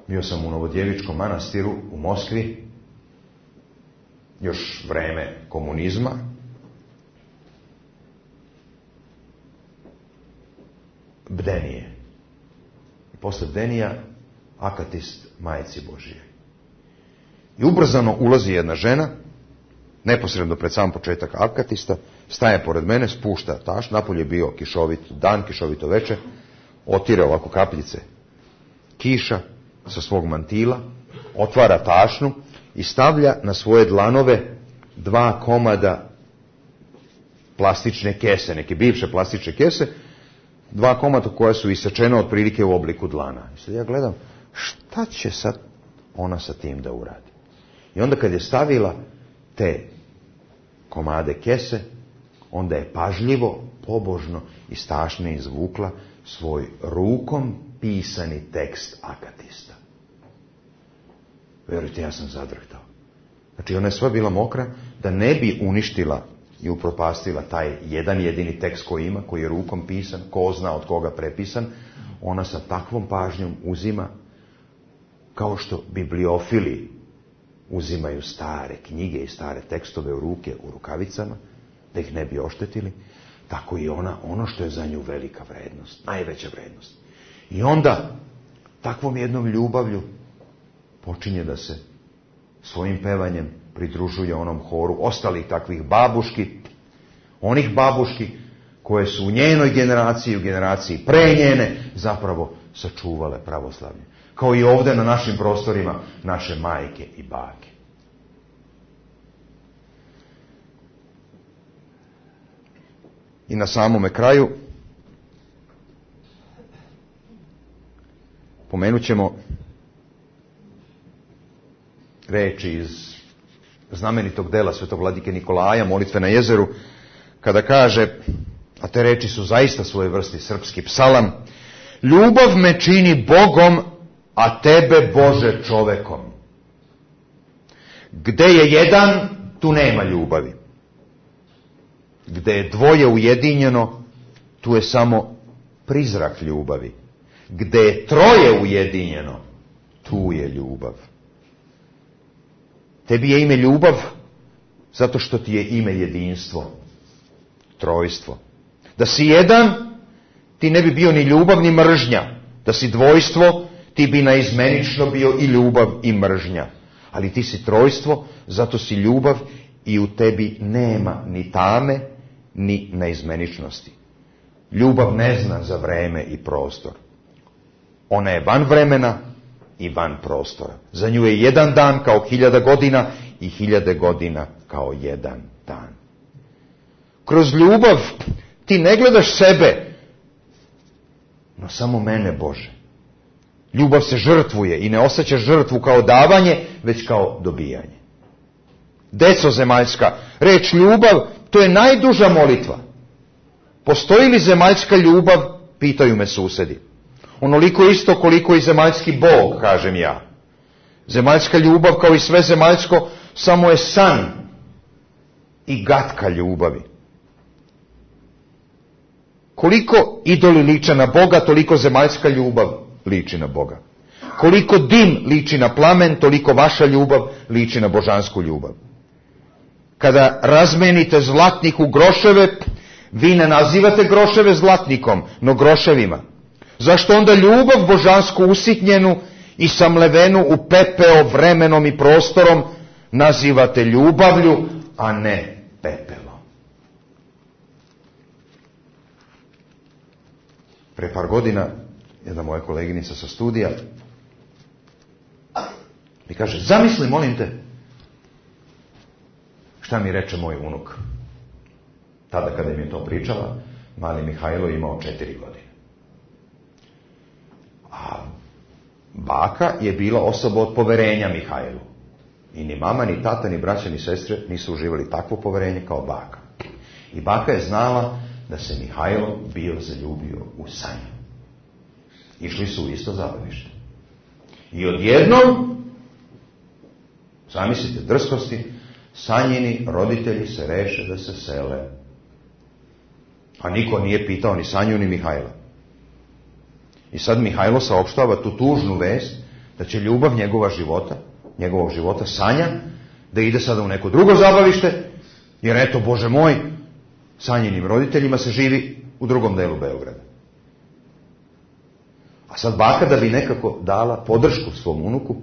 Bio sam u Novodjevičkom manastiru u Moskvi. Još vreme komunizma. Bdenije. I posle bdenija akatist Majici Božije. I ubrzano ulazi jedna žena, neposredno pred sam početak akatista, staje pored mene, spušta taš, napolje je bio kišovit dan, kišovito veče, otire ovako kapljice kiša sa svog mantila, otvara tašnu i stavlja na svoje dlanove dva komada plastične kese, neke bivše plastične kese, dva komada koja su isečena otprilike u obliku dlana. I sad ja gledam, šta će sad ona sa tim da uradi? I onda kad je stavila te komade kese, onda je pažljivo, pobožno iz tašne izvukla svoj rukom pisani tekst akatista. Vjerujte, ja sam zadrhtao. Znači, ona je sva bila mokra da ne bi uništila i upropastila taj jedan jedini tekst koji ima, koji je rukom pisan, ko zna od koga prepisan. Ona sa takvom pažnjom uzima, kao što bibliofili uzimaju stare knjige i stare tekstove u ruke, u rukavicama, da ih ne bi oštetili, tako i ona, ono što je za nju velika vrednost, najveća vrednost. I onda, takvom jednom ljubavlju, počinje da se svojim pevanjem pridružuje onom horu ostalih takvih babuški, onih babuški koje su u njenoj generaciji, u generaciji pre njene, zapravo sačuvale pravoslavlje. Kao i ovdje na našim prostorima naše majke i bake. I na samome kraju pomenut ćemo reči iz znamenitog dela svetog vladike Nikolaja, Molitve na jezeru, kada kaže, a te reči su zaista svoje vrsti srpski psalam: ljubav me čini Bogom, a tebe, Bože, čovekom. Gde je jedan, tu nema ljubavi. Gde je dvoje ujedinjeno, tu je samo prizrak ljubavi. Gde je troje ujedinjeno, tu je ljubav. Tebi je ime ljubav, zato što ti je ime jedinstvo, trojstvo. Da si jedan, ti ne bi bio ni ljubav ni mržnja. Da si dvojstvo, ti bi naizmenično bio i ljubav i mržnja. Ali ti si trojstvo, zato si ljubav i u tebi nema ni tame, ni naizmeničnosti. Ljubav ne zna za vreme i prostor. Ona je van vremena i van prostora. Za nju je jedan dan kao hiljada godina i hiljade godina kao jedan dan. Kroz ljubav ti ne gledaš sebe, no samo mene, Bože. Ljubav se žrtvuje i ne osjeća žrtvu kao davanje, već kao dobijanje. Deco zemaljska, reč ljubav, to je najduža molitva. Postoji li zemaljska ljubav, pitaju me susedi. Onoliko isto koliko i zemaljski Bog, kažem ja. Zemaljska ljubav, kao i sve zemaljsko, samo je san i gatka ljubavi. Koliko idoli liče na Boga, toliko zemaljska ljubav liči na Boga. Koliko dim liči na plamen, toliko vaša ljubav liči na božansku ljubav. Kada razmenite zlatnik u groševe, vi ne nazivate groševe zlatnikom, no groševima. Zašto onda ljubav božansku usitnjenu i samlevenu u pepeo vremenom i prostorom nazivate ljubavlju, a ne pepelom? Pre par godina jedna moja koleginica sa studija mi kaže, zamisli, molim te, šta mi reče moj unuk. Tada kada im je to pričala, mali Mihajlo imao četiri godine. A baka je bila osoba od poverenja Mihajlu. I ni mama, ni tata, ni braća, ni sestre nisu uživali takvo poverenje kao baka. I baka je znala da se Mihajlo bio zaljubio u Sanju. Išli su u isto zabavište. I odjednom, zamislite drskosti, Sanjini roditelji se reše da se sele. A niko nije pitao ni Sanju ni Mihajla. I sad Mihajlo saopštava tu tužnu vest da će ljubav njegova života, njegovog života, Sanja, da ide sada u neko drugo zabavište, jer eto, Bože moj, Sanjinim roditeljima se živi u drugom delu Beograda. A sad baka, da bi nekako dala podršku svom unuku,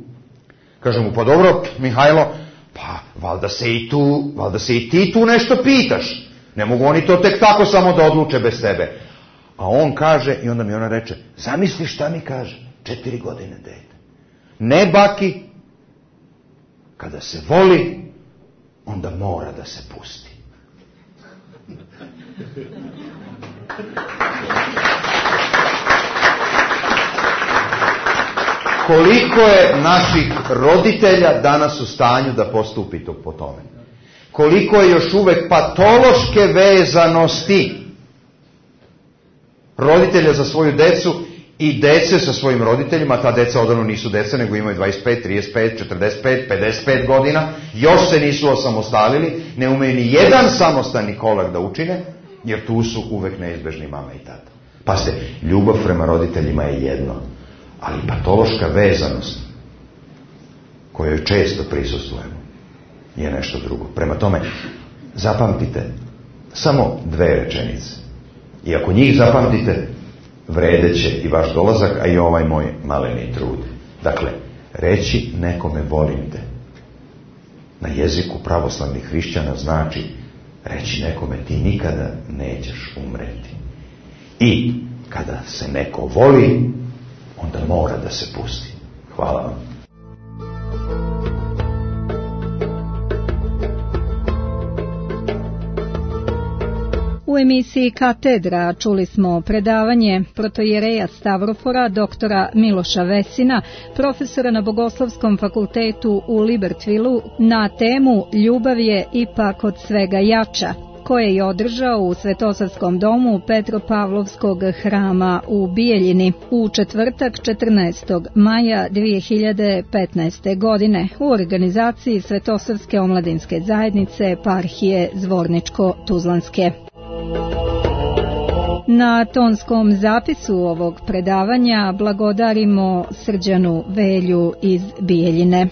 kaže mu, pa dobro, Mihajlo, pa valjda se i tu, valjda se i ti tu nešto pitaš. Ne mogu oni to tek tako samo da odluče bez tebe. A on kaže, i onda mi ona reče, zamisli šta mi kaže, četiri godine dete. Ne, baki, kada se voli, onda mora da se pusti. Koliko je naših roditelja danas u stanju da postupi to po tome? Koliko je još uvek patološke vezanosti roditelja za svoju decu i dece sa svojim roditeljima, ta deca odavno nisu deca, nego imaju dvadeset pet, trideset pet, četrdeset pet, pedeset pet godina, još se nisu osamostalili, ne umeju ni jedan samostalni korak da učine, jer tu su uvek neizbežni mama i tata. Pa se, ljubav prema roditeljima je jedno, ali patološka vezanost, kojoj često prisustvujemo, je nešto drugo. Prema tome, zapamtite samo dve rečenice. I ako njih zapamtite, vredeće i vaš dolazak, a i ovaj moj maleni trud. Dakle, reći nekome volim te na jeziku pravoslavnih hrišćana znači reći nekome ti nikada nećeš umreti. I kada se neko voli, onda mora da se pusti. Hvala vam. U emisiji Katedra čuli smo predavanje protojereja Stavrofora doktora Miloša Vesina, profesora na Bogoslovskom fakultetu u Libertvilu, na temu Ljubav je ipak od svega jača, koje je održao u Svetosavskom domu Petropavlovskog hrama u Bijeljini u četvrtak četrnaestog maja dve hiljade petnaeste. godine u organizaciji Svetosavske omladinske zajednice eparhije Zvorničko-Tuzlanske. Na tonskom zapisu ovog predavanja blagodarimo Srđanu Velju iz Bijeljine.